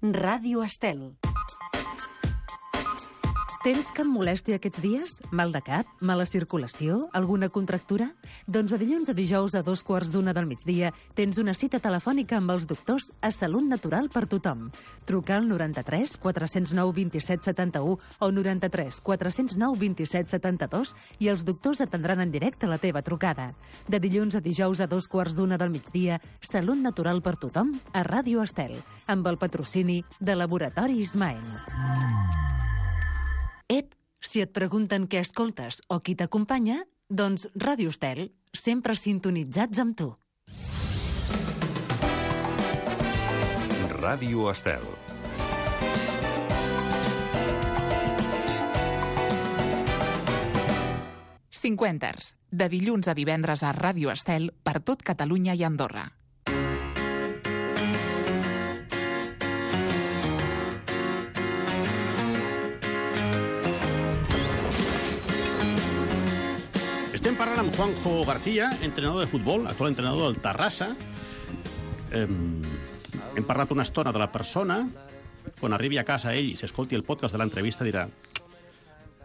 Ràdio Estel. Tens cap molèstia aquests dies? Mal de cap? Mala circulació? Alguna contractura? Doncs de dilluns a dijous a dos quarts d'una del migdia tens una cita telefònica amb els doctors a Salut Natural per tothom. Truca al noranta-tres quatre zero nou vint-i-set setanta-u o noranta-tres quatre zero nou vint-i-set setanta-dos i els doctors atendran en directe la teva trucada. De dilluns a dijous a dos quarts d'una del migdia, Salut Natural per tothom a Ràdio Estel, amb el patrocini de Laboratori Ismael. Ep, si et pregunten què escoltes o qui t'acompanya, doncs Ràdio Estel, sempre sintonitzats amb tu. Ràdio Estel. Cinquenters, de dilluns a divendres a Ràdio Estel per tot Catalunya i Andorra. Estem parlant amb Juanjo García, entrenador de futbol, actual entrenador del Terrassa. Eh, hem parlat una estona de la persona. Quan arribi a casa ell i s'escolti el podcast de l'entrevista dirà: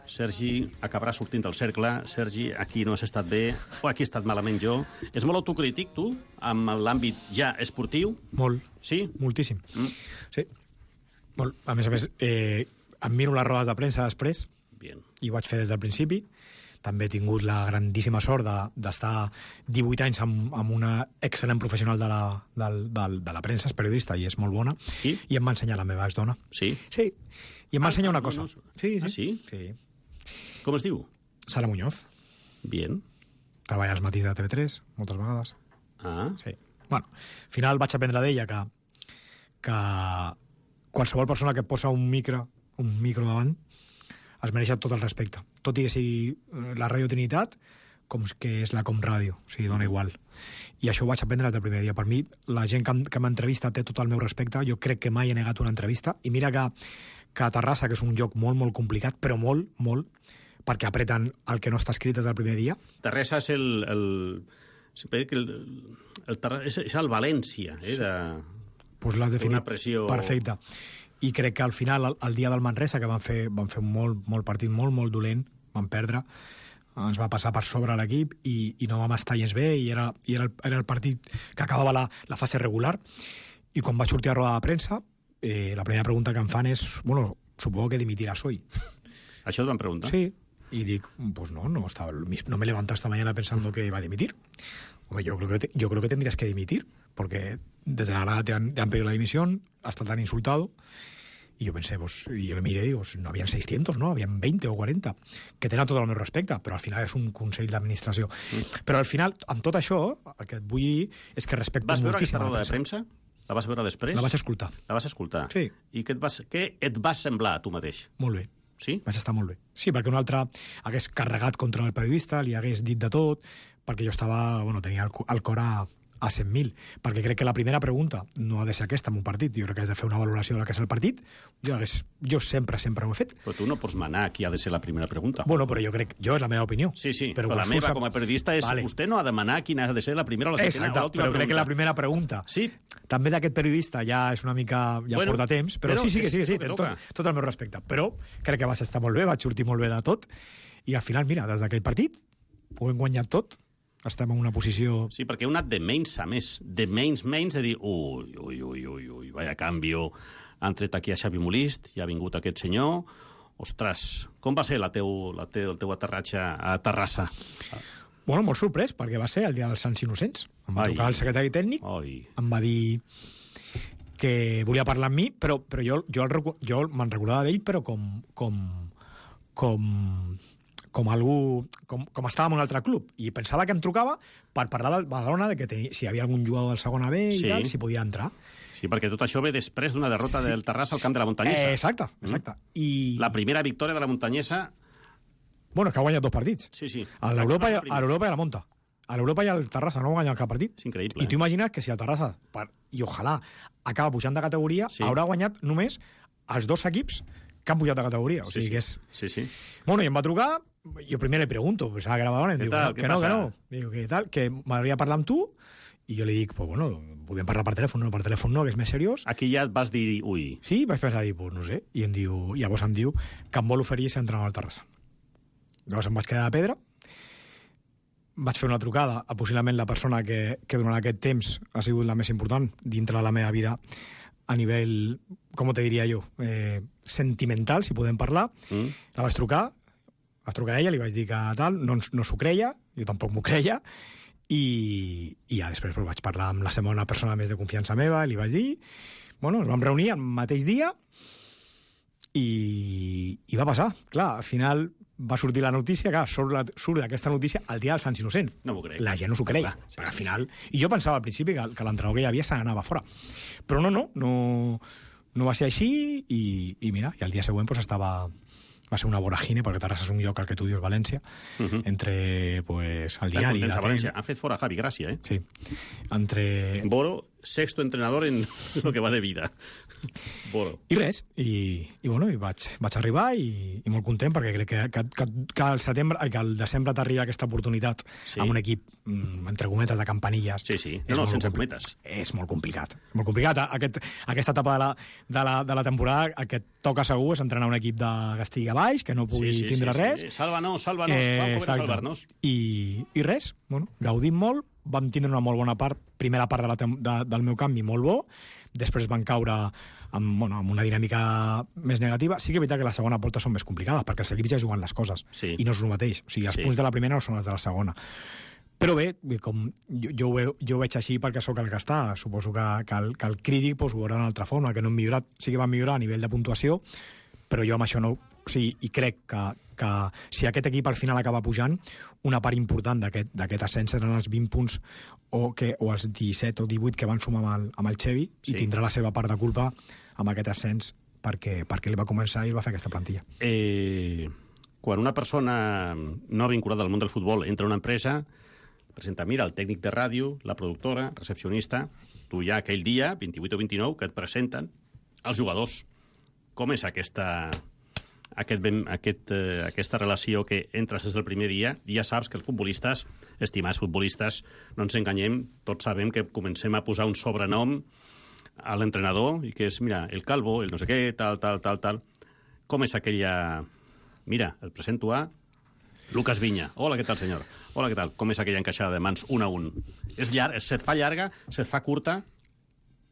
Sergi acabarà sortint del cercle, Sergi, aquí no has estat bé, o aquí he estat malament jo. És molt autocrític, tu, amb l'àmbit ja esportiu? Molt. Sí? Moltíssim. Mm. Sí. Molt. A més a més, eh, em miro les rodes de premsa després. Bien. I ho vaig fer des del principi. També he tingut la grandíssima sort d'estar divuit anys amb, amb una excel·lent professional de la, de, de, de la premsa, és periodista i és molt bona, sí? I em va ensenyar la meva exdona. Sí? Sí, i em va ah, ensenyar una no, cosa. No, no. Sí, sí. Ah, sí? Sí. Com es diu? Sara Muñoz. Bien. Treballa als matins de T V tres, moltes vegades. Ah. Sí. Bueno, al final vaig aprendre d'ella que, que qualsevol persona que posa un micro, un micro davant es mereix tot el respecte. Tot i que sigui la Radio Trinitat, com que és la Comràdio, o sigui, dona igual. I això ho vaig aprendre des del primer dia. Per mi, la gent que, que m'entrevista té tot el meu respecte. Jo crec que mai he negat una entrevista. I mira que, que a Terrassa, que és un lloc molt, molt complicat, però molt, molt, perquè apreten el que no està escrit des del primer dia. Terrassa és el... el... el, el, el és, és el València, eh? De... Pues l'has definit una pressió... perfecte. I crec que al final, el, el dia del Manresa, que van fer, van fer un molt, molt partit molt, molt dolent, van perdre, ens va passar per sobre l'equip i, i no vam estar gens bé, i era, i era, el, era el partit que acabava la, la fase regular. I quan vaig sortir a roda de premsa, eh, la primera pregunta que em fan és, bueno, supongo que dimitiràs hoy. Això et van preguntar? Sí. Y digo, pues no, no, estaba, no me levanté esta mañana pensando que iba a dimitir. Hombre, yo creo que, te, yo creo que tendrías que dimitir, porque desde la grada te han, te han pedido la dimisión, hasta tan insultado. Y yo pensé, pues, y yo le miré y digo, no habían seiscientos, ¿no? Habían veinte o quaranta, que tenen tot el meu respecte, però al final és un consell d'administració. Mm. Però al final, amb tot això, el que et vull dir és que respecto moltíssim. Vas veure aquesta a la roda de premsa? La vas veure després? La vaig escoltar. La vas escoltar? Sí. I què et, vas, què et va semblar a tu mateix? Molt bé. Sí? Vaig estar molt bé. Sí, perquè un altre hagués carregat contra el periodista, li hagués dit de tot, perquè jo estava, bueno, tenia el, el cor a, a cent mil, perquè crec que la primera pregunta no ha de ser aquesta en un partit, jo crec que has de fer una valoració del que és el partit, jo, hagués, jo sempre, sempre ho he fet. Però tu no pots manar qui ha de ser la primera pregunta. Bueno, però jo crec, jo és la meva opinió. Sí, sí, però, però la meva sap... com a periodista és, vale. Vostè no ha de manar quina ha de ser la primera o la segona o l'última però pregunta. crec que la primera pregunta, sí. També d'aquest periodista ja és una mica, ja bueno, porta temps, però, però sí, sí, que sí, que sí, que tot, tot el meu respecte. Però crec que vas estar molt bé, vaig sortir molt bé de tot, i al final, mira, des d'aquell partit ho hem guanyat tot, estem en una posició... Sí, perquè heu anat de menys a més, de menys menys, de dir, ui, ui, ui, ui, ui, vaya canvio, han tret aquí a Xavi Molist, i ha vingut aquest senyor, ostres, com va ser la teu, la teu, el teu aterratge a Terrassa? Bueno, molt sorprès, perquè va ser el dia dels Sants Innocents. Em va Ai. trucar el secretari tècnic, Ai. em va dir que volia parlar amb mi, però, però jo, jo, el, jo me'n recordava d'ell, però com, com, com, com algú... Com, com estava en un altre club. I pensava que em trucava per parlar del Badalona, de que tenia, si hi havia algun jugador del segona B i Sí. tal, si podia entrar. Sí, perquè tot això ve després d'una derrota Sí. del Terrassa al camp de la Muntanyesa. Eh, exacte, exacte. Mm. I... La primera victòria de la Muntanyesa... Bueno, és que ha guanyat dos partits. Sí, sí. A l'Europa i, a l'Europa i a la Monta. A l'Europa i al Terrassa no ha guanyat cap partit. És increïble. I tu imagines que si el Terrassa, per, i ojalà, acaba pujant de categoria, Sí. haurà guanyat només els dos equips que han pujat de categoria. O Sí, sigui sí. que és... Sí, sí. Bueno, i em va trucar, jo primer li pregunto, pensava que era Badalona, i em Què diu tal? que, Què no, que passa? no. Diu, que tal, que m'agradaria parlar amb tu, i jo li dic, pues bueno, podem parlar per telèfon, no, per telèfon no, que és més seriós. Aquí ja et vas dir, ui, Sí, vaig pensar, dir, pues no sé, i em diu, i llavors em diu que em vol oferir ser entrenador al Terrassa. Llavors em vaig quedar de pedra, vaig fer una trucada a possiblement la persona que, que durant aquest temps ha sigut la més important dintre de la meva vida a nivell, com te diria jo, eh, sentimental, si podem parlar. Mm. La vaig trucar, vaig trucar a ella, li vaig dir que tal, no, ens- no s'ho creia, jo tampoc m'ho creia, i, i ja després pues, vaig parlar amb la segona persona més de confiança meva, li vaig dir, bueno, ens vam reunir el mateix dia, i, i va passar. Clar, al final va sortir la notícia, clar, surt, la, surt aquesta notícia el dia dels Sants Innocents. No m'ho crec. La gent no s'ho creia. Clar, sí, Però al sí. final... I jo pensava al principi que, que l'entrenador que hi havia se n'anava fora. Però no, no, no, no va ser així, i, i mira, i al dia següent pues, estava... Va ser una voragine, perquè Terrassa és un lloc al que tu dius València, Uh -huh. entre pues, el Estan diari... contents la a València. tele. Han fet fora Javi Gràcia, eh? Sí. Entre... Boro, sexto entrenador en lo que va de vida. Boro. I res, i, i, bueno, i vaig, vaig arribar i, i molt content perquè crec que, que, que, que, al setembre, ai, que al desembre t'arriba aquesta oportunitat Sí. amb un equip, mm, entre cometes, de campanilles. Sí, sí. És No, no, molt sense compli- cometes. És molt complicat. Molt complicat. Aquest, aquesta etapa de la, de, la, de la temporada, el que et toca segur és entrenar un equip de que estigui a baix, que no pugui Sí, sí, tindre sí, res. sí. Sálvanos, sálvanos, Eh, vam poder exacte. salvar-nos. I, I res, bueno, gaudim molt, vam tindre una molt bona part, primera part de la, tem- de, del meu canvi molt bo, després van caure amb, bueno, amb una dinàmica més negativa. Sí que és veritat que la segona volta són més complicades, perquè els equips ja juguen les coses, Sí. i no és el mateix. O sigui, els Sí. punts de la primera no són els de la segona. Però bé, com jo, jo, ho, veu, jo ho veig així perquè sóc el que està. Suposo que, que, el, que el crític pues, ho veurà d'una altra forma, que no hem millorat, sí que vam millorar a nivell de puntuació, però jo amb això no... O sigui, i crec que, que si aquest equip al final acaba pujant, una part important d'aquest d'aquest ascens seran els vint punts o, que, o els disset o divuit que van sumar amb el, amb el Xevi, Sí. i tindrà la seva part de culpa amb aquest ascens perquè, perquè ell va començar i ell va fer aquesta plantilla. Eh, quan una persona no vinculada al món del futbol entra a una empresa, presenta, mira, el tècnic de ràdio, la productora, recepcionista, tu ja aquell dia, vint-i-vuit o vint-i-nou, que et presenten els jugadors. Com és aquesta, aquest, ben- aquest, eh, aquesta relació que entres des del primer dia? Ja saps que els futbolistes, estimats futbolistes, no ens enganyem, tots sabem que comencem a posar un sobrenom a l'entrenador, i que és, mira, el calvo, el no sé què, tal, tal, tal, tal. Com és aquella... Mira, el presento a Lucas Viña. Hola, què tal, senyor? Hola, què tal? Com és aquella encaixada de mans un a un? És llarg, se't fa llarga, se't fa curta?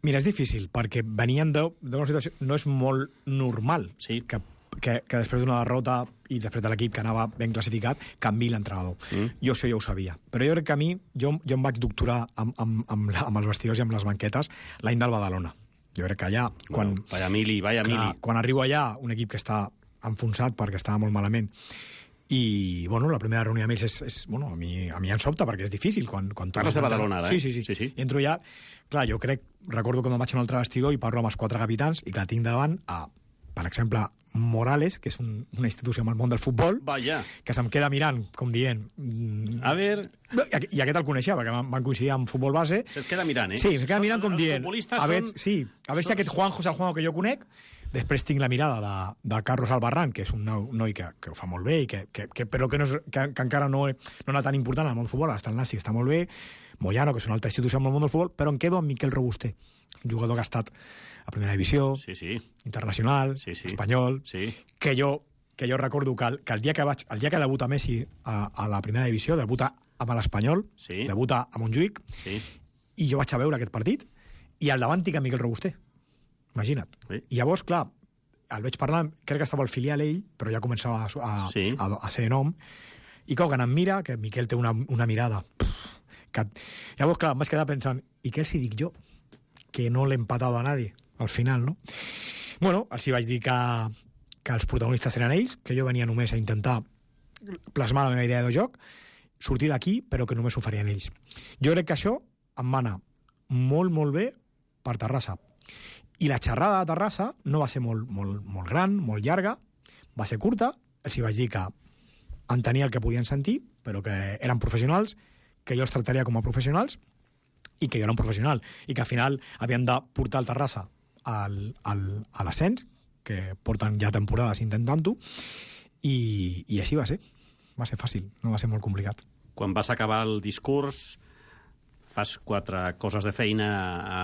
Mira, és difícil, perquè venien de- d'una situació... No és molt normal Sí. que, que, que després d'una derrota i després de l'equip que anava ben classificat, canvi l'entrenador. Mm. Jo això ja ho sabia. Però jo crec que a mi, jo, jo em vaig doctorar amb, amb, amb, la, amb els vestidors i amb les banquetes l'any del Badalona. Jo crec que allà, quan, Bueno, vaya mili, vaya clar, mili. quan arribo allà, un equip que està enfonsat perquè estava molt malament, i, bueno, la primera reunió amb ells és, és bueno, a mi, a mi em sobta perquè és difícil. Quan, quan tu Parles vas de entrar- Badalona, ara, sí, eh? sí, sí, Sí, sí. Entro ja... Clar, jo crec... Recordo que me'n vaig a un altre vestidor i parlo amb els quatre capitans i que tinc davant a, per exemple, Morales, que és un, una institució amb el món del futbol, Vaya. que se'm queda mirant, com dient... mm, A ver, I aquest el coneixia, perquè van van coincidir amb futbol base. se't queda mirant, eh? Sí, se'm queda Són- mirant com els dient... futbolistes A veure, són- sí, a veure si són- aquest Juanjo és el Juanjo que jo conec. Després tinc la mirada de, de Carlos Albarrán, que és un noi, noi que, que ho fa molt bé, i que, que, que, però que, no és, que, que encara no, no era tan important al món del futbol. Està el Nasi, que està molt bé. Moyano, que és una altra institució al món del futbol, però em quedo amb Miquel Robuster, un jugador que ha estat a primera divisió, Sí, sí. internacional, Sí, sí. espanyol, Sí. que jo, que jo recordo que, el, que el dia que vaig, el dia que debuta Messi a, a la primera divisió, debuta amb l'Espanyol, Sí. debuta a Montjuïc, Sí. i jo vaig a veure aquest partit, i al davant tinc a Miquel Robuster. Imagina't. Sí. I llavors, clar, el veig parlant, crec que estava al filial ell, però ja començava a, a, Sí. a, a ser nom, i com que em mira, que Miquel té una, una mirada... Pff, que... Llavors, clar, em vaig quedar pensant, i què els hi dic jo? Que no l'he empatat a nadie, al final, no? Bueno, els hi vaig dir que, que els protagonistes eren ells, que jo venia només a intentar plasmar la meva idea de joc, sortir d'aquí, però que només ho farien ells. Jo crec que això em va anar molt, molt bé per Terrassa. I la xerrada de Terrassa no va ser molt, molt, molt gran, molt llarga, va ser curta, els hi vaig dir que entenia el que podien sentir, però que eren professionals, que jo els tractaria com a professionals, i que jo era un professional, i que al final havien de portar el Terrassa al, al, a l'ascens, que porten ja temporades intentant-ho, i, i així va ser. Va ser fàcil, no va ser molt complicat. Quan vas acabar el discurs, fas quatre coses de feina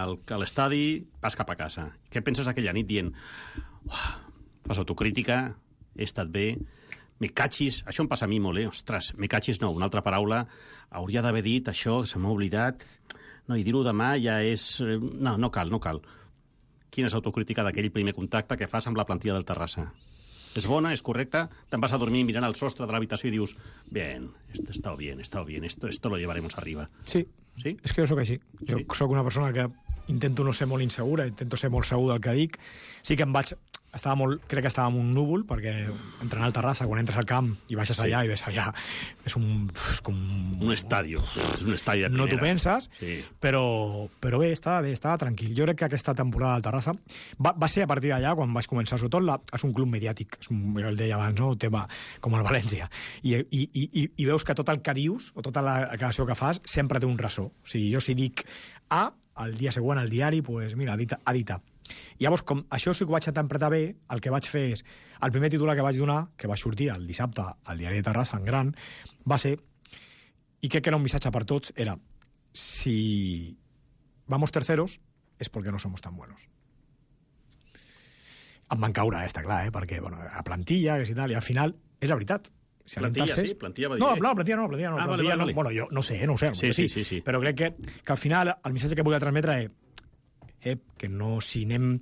al, a l'estadi, vas cap a casa. Què penses aquella nit dient, fas autocrítica, he estat bé, me cachis, això em passa a mi molt, eh? Ostres, me cachis no, una altra paraula, hauria d'haver dit això, se m'ha oblidat, no, i dir-ho demà ja és... No, no cal, no cal. Quina és l'autocrítica d'aquell primer contacte que fas amb la plantilla del Terrassa? És bona, és correcta? Te'n vas a dormir mirant al sostre de l'habitació i dius, bien, esto está bien, está bien, esto, esto lo llevaremos arriba. Sí, sí? És que jo sóc així. Jo sí. Sóc una persona que intento no ser molt insegura, intento ser molt segur del que dic. Sí que em vaig... Estava molt, crec que estava en un núvol, perquè entrenar al Terrassa, quan entres al camp i baixes sí. allà i ves allà, és un... És com... Un estadi, és un estadi de primera. No t'ho penses, sí. però, però bé, estava bé, estava tranquil. Jo crec que aquesta temporada del Terrassa va, va ser a partir d'allà, quan vaig començar, sobretot, la, és un club mediàtic, és un, jo el deia abans, no? Un tema com el València. I, i, i, I veus que tot el que dius, o tota la declaració que fas, sempre té un ressò. O sigui, jo si dic A, el dia següent al diari, pues, mira, ha dit, ha dit A. I llavors, com això sí que ho vaig interpretar bé, el que vaig fer és... El primer titular que vaig donar, que va sortir el dissabte al diari de Terrassa, en gran, va ser, i crec que era un missatge per tots, era, si vamos terceros es porque no somos tan buenos. Em van caure, eh, està clar, eh, perquè bueno, a plantilla, que si tal, i al final, és la veritat. Si plantilla, tercers... sí, plantilla va dir... No, no, plantilla no, plantilla no. Ah, plantilla vale, vale, no. Bueno, jo no sé, no ho sé, sí, sí, sí, sí, sí. Però crec que, que al final el missatge que volia transmetre és Eh, que no, si anem,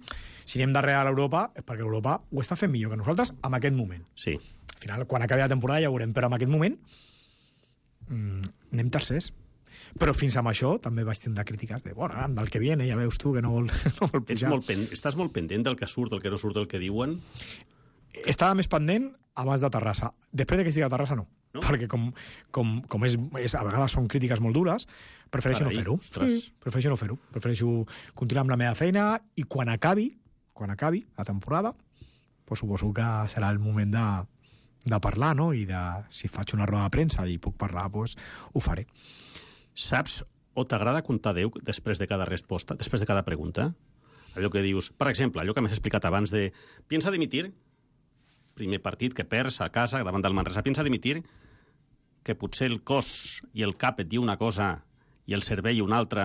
si anem darrere a l'Europa és perquè l'Europa ho està fent millor que nosaltres en aquest moment. Sí. Al final, quan acabi la temporada ja ho veurem, però en aquest moment mmm, anem tercers. Però fins amb això també vaig tindre crítiques de, bueno, del que viene, ja veus tu que no vol, no vol pujar. Ets molt pen... Estàs molt pendent del que surt, del que no surt, del que diuen? Estava més pendent abans de Terrassa. Després de que estigui a Terrassa, no. No? Perquè com, com, com és, és, a vegades són crítiques molt dures, prefereixo Carai, no fer-ho. Sí, prefereixo no fer-ho. Prefereixo continuar amb la meva feina i quan acabi, quan acabi la temporada, pues suposo que serà el moment de, de parlar, no? I de, si faig una roda de premsa i puc parlar, pues, ho faré. Saps o t'agrada comptar Déu després de cada resposta, després de cada pregunta? Allò que dius, per exemple, allò que m'has explicat abans de piensa dimitir, primer partit que perds a casa davant del Manresa, piensa dimitir, que potser el cos i el cap et diu una cosa i el cervell una altra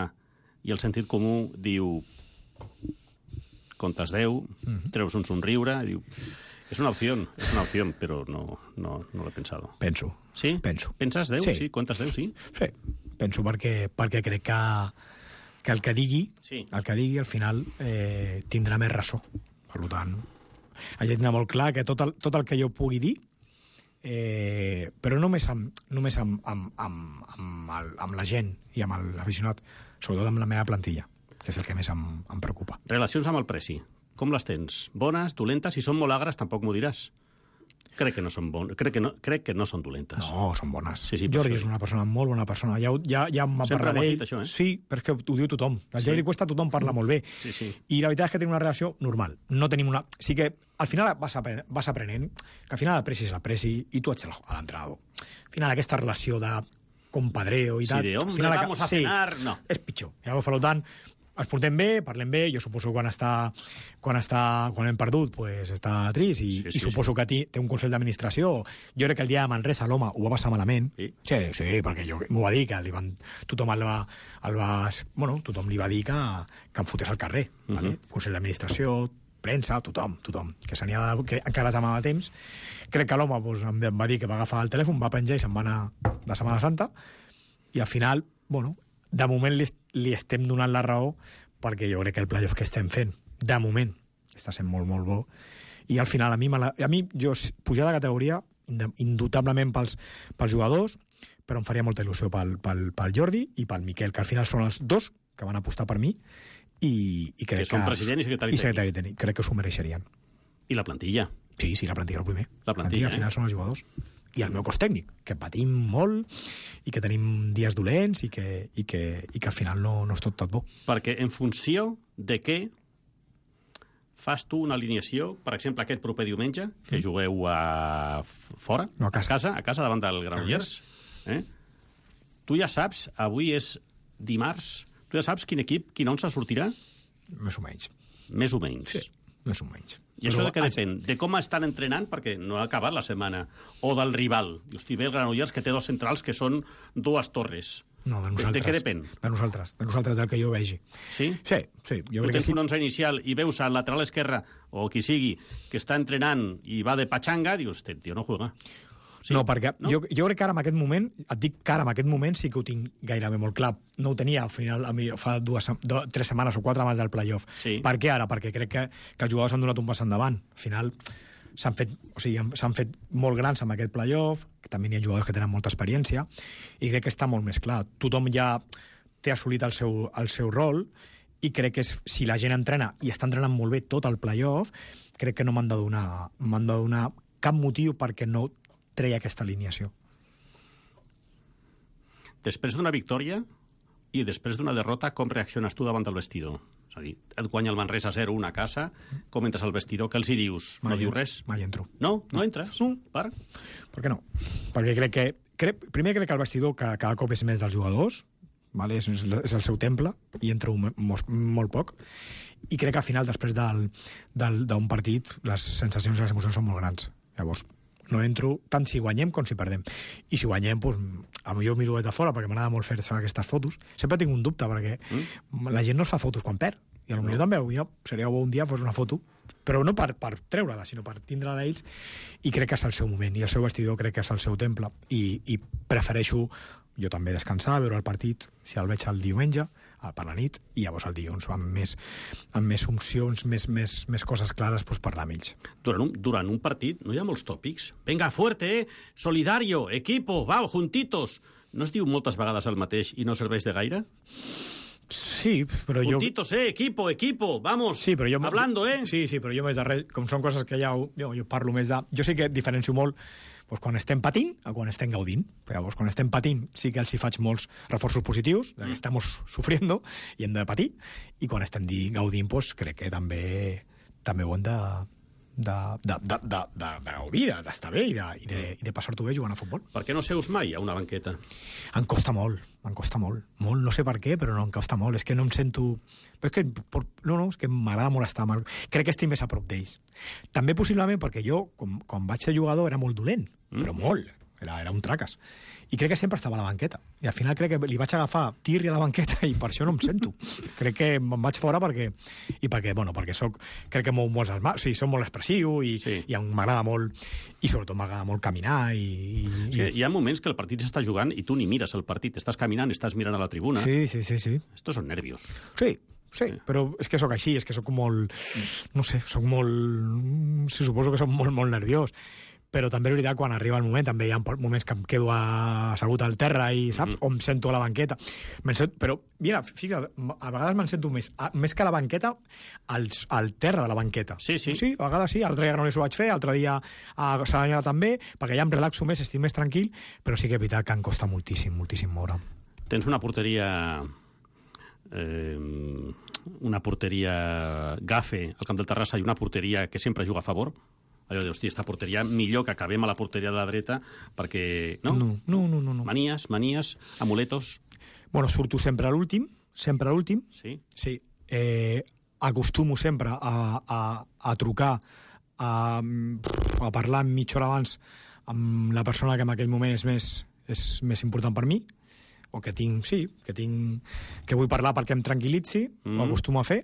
i el sentit comú diu comptes Déu, mm-hmm. treus un somriure, diu... És una opció, és una opció, però no, no, no l'he pensat. Penso. Sí? Penso. Penses Déu, sí? sí? Comptes Déu, sí? Sí, penso perquè, perquè crec que, que el que digui, sí. el que digui al final eh, tindrà més ressò. Per tant, haig de tenir molt clar que tot el, tot el que jo pugui dir Eh, però només, amb, només amb, amb, amb, amb, el, amb la gent i amb l'aficionat, sobretot amb la meva plantilla, que és el que més em, em preocupa. Relacions amb el Presi, com les tens? Bones, dolentes? Si són molt agres, tampoc m'ho diràs. Crec que no són bon... crec que no, crec que no són dolentes. No, són bones. Sí, sí, Jordi és una persona molt bona persona. Ja, ja, ja m'ha parlat d'ell. Dit, això, eh? Sí, però és que ho diu tothom. El sí. Jordi Cuesta tothom parla molt bé. Sí, sí. I la veritat és que tenim una relació normal. No tenim una... Sí que al final vas, apren... vas aprenent que al final el Presi és el Presi i tu ets l'entrenador. Al final aquesta relació de compadreo i sí, tal... Sí, de hombre, final, vamos a cenar... Sí, no. És pitjor. Llavors, per tant, ens portem bé, parlem bé, jo suposo que quan està, quan està, quan hem perdut, pues està trist, i, sí, sí, i suposo sí. que té un consell d'administració. Jo crec que el dia de Manresa l'home ho va passar malament. Sí, sí, sí perquè jo m'ho va dir, que li van, tothom el va, el va, bueno, tothom li va dir que, que em fotés al carrer. Uh -huh. Vale? Consell d'administració, premsa, tothom, tothom, que, de, que encara t'amava temps. Crec que l'home pues, em va dir que va agafar el telèfon, va penjar i se'n va anar de Setmana Santa, i al final, bueno, de moment li, li estem donant la raó perquè jo crec que el playoff que estem fent, de moment, està sent molt, molt bo. I al final, a mi, la, a mi jo pujar de categoria, indubtablement pels, pels jugadors, però em faria molta il·lusió pel, pel, pel Jordi i pel Miquel, que al final són els dos que van apostar per mi i, i crec que... Que són president i secretari, i secretari tècnic. Crec que s'ho mereixerien. I la plantilla? Sí, sí, la plantilla el primer. La plantilla, al final eh? són els jugadors. I el meu cos tècnic, que patim molt i que tenim dies dolents i que, i que, i que al final no, no és tot tot bo. Perquè en funció de què fas tu una alineació, per exemple, aquest proper diumenge, que mm. jugueu a fora, no, a, casa. a casa, a casa davant del Granollers, eh? Tu ja saps, avui és dimarts, tu ja saps quin equip, quin onze sortirà? Més o menys. Més o menys. Sí, més o menys. I això de què depèn? De com estan entrenant, perquè no ha acabat la setmana, o del rival. Hosti, ve el Granollers, que té dos centrals que són dues torres. No, de nosaltres. De, de què depèn? De nosaltres, de nosaltres, del que jo vegi. Sí? Sí, sí. Jo tu crec tens que sí. un onze inicial i veus al lateral esquerre, o qui sigui, que està entrenant i va de patxanga, dius, este tio no juega. Sí? No, perquè no? Jo, jo crec que ara en aquest moment, et dic que ara en aquest moment sí que ho tinc gairebé molt clar. No ho tenia al final, a mi, fa dues, do, tres setmanes o quatre abans del playoff. Sí. Per què ara? Perquè crec que, que els jugadors han donat un pas endavant. Al final s'han fet, o sigui, s'han fet molt grans amb aquest playoff, que també hi ha jugadors que tenen molta experiència, i crec que està molt més clar. Tothom ja té assolit el seu, el seu rol, i crec que és, si la gent entrena, i està entrenant molt bé tot el playoff, crec que no m'han de donar, m'han de donar cap motiu perquè no treia aquesta alineació. Després d'una victòria i després d'una derrota, com reacciones tu davant del vestidor? És a dir, et guanya el Manresa zero una a casa, com entres al vestidor, què els hi dius? Mai, no dius res? Mai entro. No? No, no entres? No. Per? Per què no? Perquè crec que... Crec, primer crec que el vestidor que cada cop és més dels jugadors, vale? és, és el seu temple, i entro molt, molt poc, i crec que al final, després del, del, d'un partit, les sensacions i les emocions són molt grans. Llavors, no entro tant si guanyem com si perdem. I si guanyem, doncs, a mi jo miro des de fora, perquè m'agrada molt fer aquestes fotos. Sempre tinc un dubte, perquè mm. la gent no es fa fotos quan perd. I potser no. també jo, seria bo un dia fos una foto, però no per, per treure-la, sinó per tindre-la ells, i crec que és el seu moment, i el seu vestidor crec que és el seu temple, i, i prefereixo jo també descansar, veure el partit, si el veig el diumenge, per la nit, i llavors el dilluns amb més, amb més opcions, més, més, més coses clares, doncs parlar amb ells. Durant un, durant un partit no hi ha molts tòpics? Venga, fuerte, eh? Solidario, equipo, va, juntitos. No es diu moltes vegades el mateix i no serveix de gaire? Sí, però jo... Juntitos, eh? Equipo, equipo, vamos, sí, però jo... hablando, eh? Sí, sí, però jo més de res, com són coses que ja... Jo, jo parlo més de... Jo sí que diferencio molt doncs, quan estem patint o quan estem gaudint. Llavors, quan estem patint sí que els hi faig molts reforços positius, que estem sofriendo i hem de patir, i quan estem gaudint, doncs, crec que també, també ho hem de... de, de, de, de, de, de gaudir, d'estar bé i de, i de, i de passar-t'ho bé jugant a futbol. Per què no seus mai a una banqueta? Em costa molt, em costa molt. Molt, no sé per què, però no, em costa molt. És que no em sento... Però és que, no, no, és que m'agrada molt estar... Crec que estic més a prop d'ells. També possiblement perquè jo, quan, quan vaig ser jugador, era molt dolent, mm. però molt. Era, era un traques. I crec que sempre estava a la banqueta. I al final crec que li vaig agafar tirri a la banqueta i per això no em sento. Crec que me'n vaig fora perquè... I perquè, bueno, perquè soc... Crec que mou molts les mans, o sigui, soc molt expressiu i, sí. i m'agrada molt... I sobretot m'agrada molt caminar i... i... Sí, hi ha moments que el partit s'està jugant i tu ni mires el partit. Estàs caminant, estàs mirant a la tribuna. Sí, sí, sí, sí. Estos són nervios. Sí, sí, sí, però és que sóc així, és que sóc molt... No sé, sóc molt... Sí, suposo que sóc molt, molt nerviós. Però també és veritat, quan arriba el moment, també hi ha moments que em quedo assegut al terra i, saps? Mm-hmm. O em sento a la banqueta. Sento, però, mira, fixa't, a vegades me'n sento més, a, més que a la banqueta, al, al terra de la banqueta. Sí, sí. Sí, a vegades sí, l'altre dia no ho vaig fer, l'altre dia a Saranyana també, perquè ja em relaxo més, estic més tranquil, però sí que és veritat que em costa moltíssim, moltíssim moure. Tens una porteria... Eh, una porteria gafe al camp del Terrassa i una porteria que sempre juga a favor? Allò de, hòstia, esta porteria millor que acabem a la porteria de la dreta perquè... No? No, no, no. no, no. Manies, manies, amuletos... Bueno, surto sempre a l'últim, sempre a l'últim. Sí? Sí. Eh, acostumo sempre a, a, a trucar, a, a parlar mitja hora abans amb la persona que en aquell moment és més, és més important per mi, o que tinc, sí, que tinc... que vull parlar perquè em tranquil·litzi, mm. ho acostumo a fer,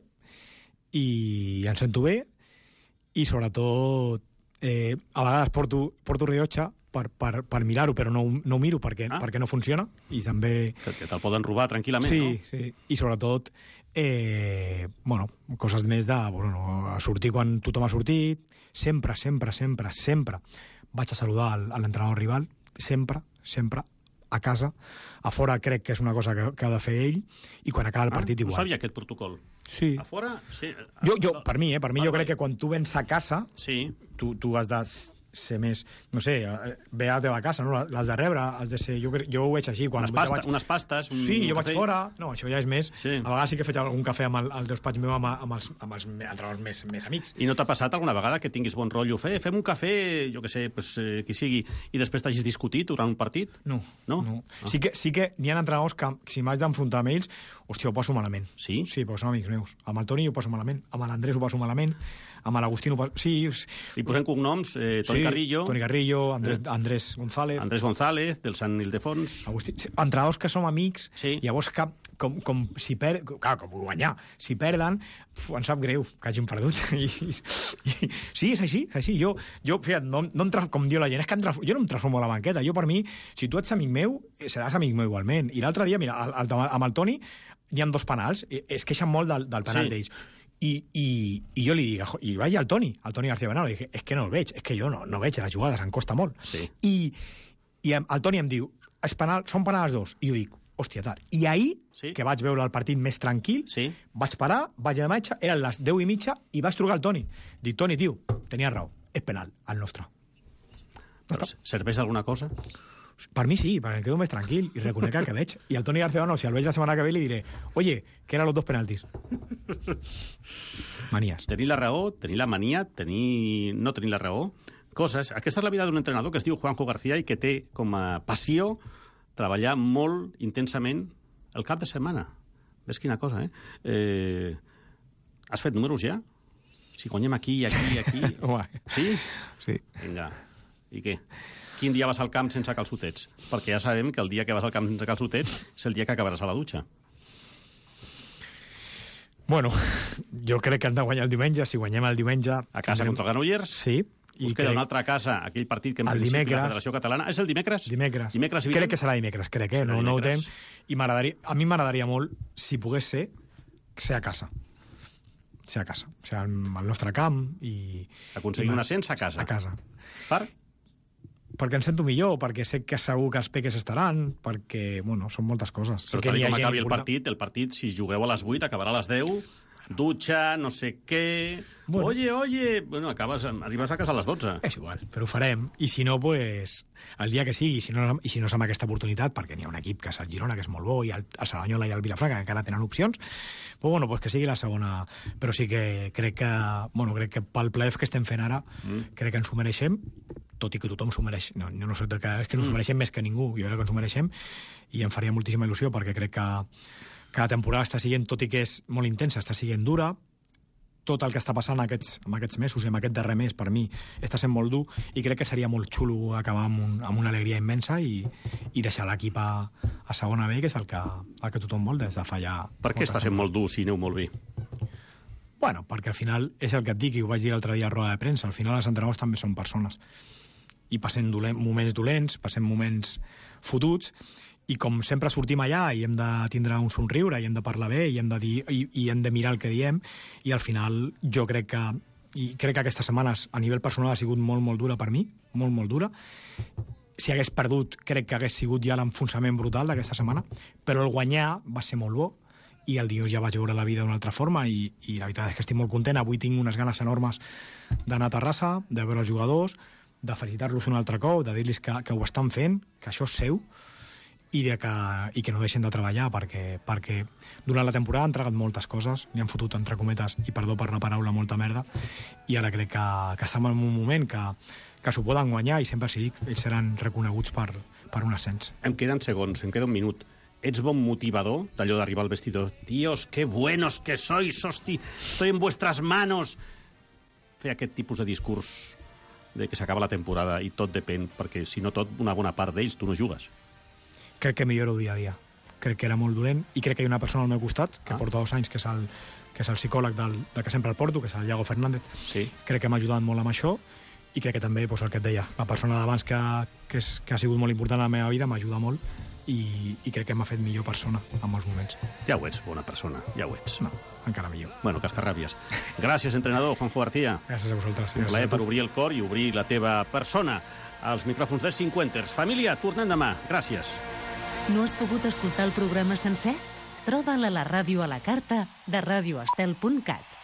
i em sento bé, i sobretot eh, a vegades porto, porto rellotge per, per, per mirar-ho, però no, no ho miro perquè, ah. perquè no funciona, i també... Que te'l poden robar tranquil·lament, sí, no? Sí, i sobretot, eh, bueno, coses més de bueno, sortir quan tothom ha sortit, sempre, sempre, sempre, sempre vaig a saludar a l'entrenador rival, sempre, sempre, a casa. A fora crec que és una cosa que, que ha de fer ell, i quan acaba el partit ah, igual. No sabia aquest protocol. Sí. A fora... Sí. Jo, jo, per mi, eh? Per mi Vale, jo crec vale. que quan tu vens a casa, Sí. tu, tu has de ser més, no sé, eh, ve a la teva casa, no? L'has de rebre, has de ser... Jo, cre- jo ho veig així. Quan Unes, jo pasta, vaig... unes pastes... Un Sí, jo vaig cafè. fora... No, això ja és més... Sí. A vegades sí que faig algun cafè amb el, el despatx meu amb, amb, els, amb els, entre els més, més amics. I no t'ha passat alguna vegada que tinguis bon rotllo? Fe, fem un cafè, jo què sé, pues, eh, qui sigui, i després t'hagis discutit durant un partit? No. No? no. Ah. Sí que, sí que n'hi ha entrenadors que, si m'haig d'enfrontar amb ells, hòstia, ho passo malament. Sí? Sí, perquè són amics meus. Amb el Toni ho passo malament, amb l'Andrés ho passo malament, amb l'Agustín ho passo... Sí, I posem cognoms, eh, Toni sí, Carrillo, Toni Carrillo, Andrés, Eh. Andrés González... Andrés González, del Sant Ildefons... Agustí, sí, entrenadors que som amics, Sí. llavors que, com, com si per... Clar, com guanyar. Si perden, uf, em sap greu que hagin perdut. I, i, i, sí, és així, és així. Jo, jo fíjate, no, no em tra... com diu la gent, és que em tra... jo no em transformo a la banqueta. Jo, per mi, si tu ets amic meu, seràs amic meu igualment. I l'altre dia, mira, el, el, amb el Toni hi ha dos penals, i es queixen molt del, del penal Sí. d'ells. I, i, i jo li dic, i vaig al Toni, al Toni García Bernal, li dic, és que no el veig, és que jo no, no veig les jugades, em costa molt. Sí. I, i em- el Toni em diu, és penal, són penals dos. I jo dic, hòstia, tal. I ahir, Sí. que vaig veure el partit més tranquil, Sí. vaig parar, vaig a metge, eren les deu i mitja, i vaig trucar al Toni. Dic, Toni, tio, tenies raó, és penal, el nostre. Però serveix d'alguna cosa? Per mi sí, perquè em quedo més tranquil i reconec el que veig. I el Toni García Bernal, si el veig la setmana que ve, li diré, oye, que eren los dos penaltis. Manies. Tenir la raó, tenir la mania, tenir... no tenir la raó, coses... Aquesta és la vida d'un entrenador que es diu Juanjo García i que té com a passió treballar molt intensament el cap de setmana. Ves quina cosa, eh? eh... Has fet números ja? Si guanyem aquí, aquí, aquí... Home. Sí? Sí. Vinga. I què? Quin dia vas al camp sense calçotets? Perquè ja sabem que el dia que vas al camp sense calçotets és el dia que acabaràs a la dutxa. Bueno, jo crec que hem de guanyar el diumenge. Si guanyem el diumenge... A casa contra el Granollers? Sí. Us queda una altra casa, aquell partit que en el principi dimecres. la Federació Catalana... És el dimecres? Dimecres. Dimecres i crec que serà dimecres, crec, eh? Serà No, no ho tem. dimecres. I m'agradaria... A mi m'agradaria molt, si pogués ser, ser a casa. Ser a casa. O sigui, al nostre camp i... Aconseguir un ascens a casa. A casa. Per? Perquè em sento millor, perquè sé que segur que els peques estaran, perquè, bueno, són moltes coses. Sé Però que tal n'hi ha com gent acabi el important. partit, el partit, si jugueu a les vuit, acabarà a les deu, dutxa, no sé què... Bueno. Oye, oye... Bueno, acabes, arribes a casa a les dotze. És igual, però ho farem. I si no, pues, el dia que sigui, i si no, i si no és amb aquesta oportunitat, perquè n'hi ha un equip que és el Girona, que és molt bo, i el, el Cerdanyola i el Vilafranca, que encara tenen opcions, pues, bueno, pues que sigui la segona. Però sí que crec que, bueno, crec que pel playoff que estem fent ara, mm. crec que ens ho mereixem, tot i que tothom s'ho mereix. No, jo no sé que, és que no s'ho Mm. mereixem més que ningú, jo crec que ens ho mereixem, i em faria moltíssima il·lusió, perquè crec que, que la temporada està siguent, tot i que és molt intensa, està siguent dura, tot el que està passant aquests, en aquests mesos i en aquest darrer mes, per mi, està sent molt dur i crec que seria molt xulo acabar amb, un, amb una alegria immensa i, i deixar l'equip a, a segona B, que és el que, el que tothom vol des de fa ja... Per què està sent molt dur si aneu molt bé? Bueno, perquè al final és el que et dic, i ho vaig dir l'altre dia a roda de premsa, al final els entrenadors també són persones. I passem dolent, moments dolents, passem moments fotuts, i com sempre sortim allà i hem de tindre un somriure i hem de parlar bé i hem de, dir, i, i hem de mirar el que diem, i al final jo crec que i crec que aquestes setmanes a nivell personal ha sigut molt, molt dura per mi, molt, molt dura. Si hagués perdut, crec que hagués sigut ja l'enfonsament brutal d'aquesta setmana, però el guanyar va ser molt bo i el dilluns ja vaig veure la vida d'una altra forma i, i la veritat és que estic molt content. Avui tinc unes ganes enormes d'anar a Terrassa, de veure els jugadors, de felicitar-los un altre cop, de dir-los que, que ho estan fent, que això és seu, i, de que, i que no deixen de treballar, perquè, perquè durant la temporada han entregat moltes coses, n'hi han fotut, entre cometes, i perdó per la paraula, molta merda, i ara crec que, que estem en un moment que, que s'ho poden guanyar, i sempre s'hi dic, ells seran reconeguts per, per un ascens. Em queden segons, em queda un minut. Ets bon motivador d'allò d'arribar al vestidor? Tíos, qué buenos que sois, hosti, estoy en vuestras manos. Fer aquest tipus de discurs de que s'acaba la temporada i tot depèn, perquè si no tot, una bona part d'ells tu no jugues. Crec que milloro dia a dia. Crec que era molt dolent i crec que hi ha una persona al meu costat que Ah. porta dos anys, que és el, que és el psicòleg del, del que sempre el porto, que és el Iago Fernández. Sí. Crec que m'ha ajudat molt amb això i crec que també, doncs, el que et deia, la persona d'abans que, que, és, que ha sigut molt important a la meva vida m'ajuda molt i, i crec que m'ha fet millor persona en molts moments. Ja ho ets, bona persona, ja ho ets. No, encara millor. Bueno, cascarràbies. Gràcies, entrenador Juanjo García. Gràcies a vosaltres. Un Gràcies plaer a tu. per obrir el cor i obrir la teva persona. Als micròfons de Cinquenters. Família, tornem demà. Gràcies. No has pogut escoltar el programa sencer? Troba'l a la ràdio a la carta de radioestel punt cat.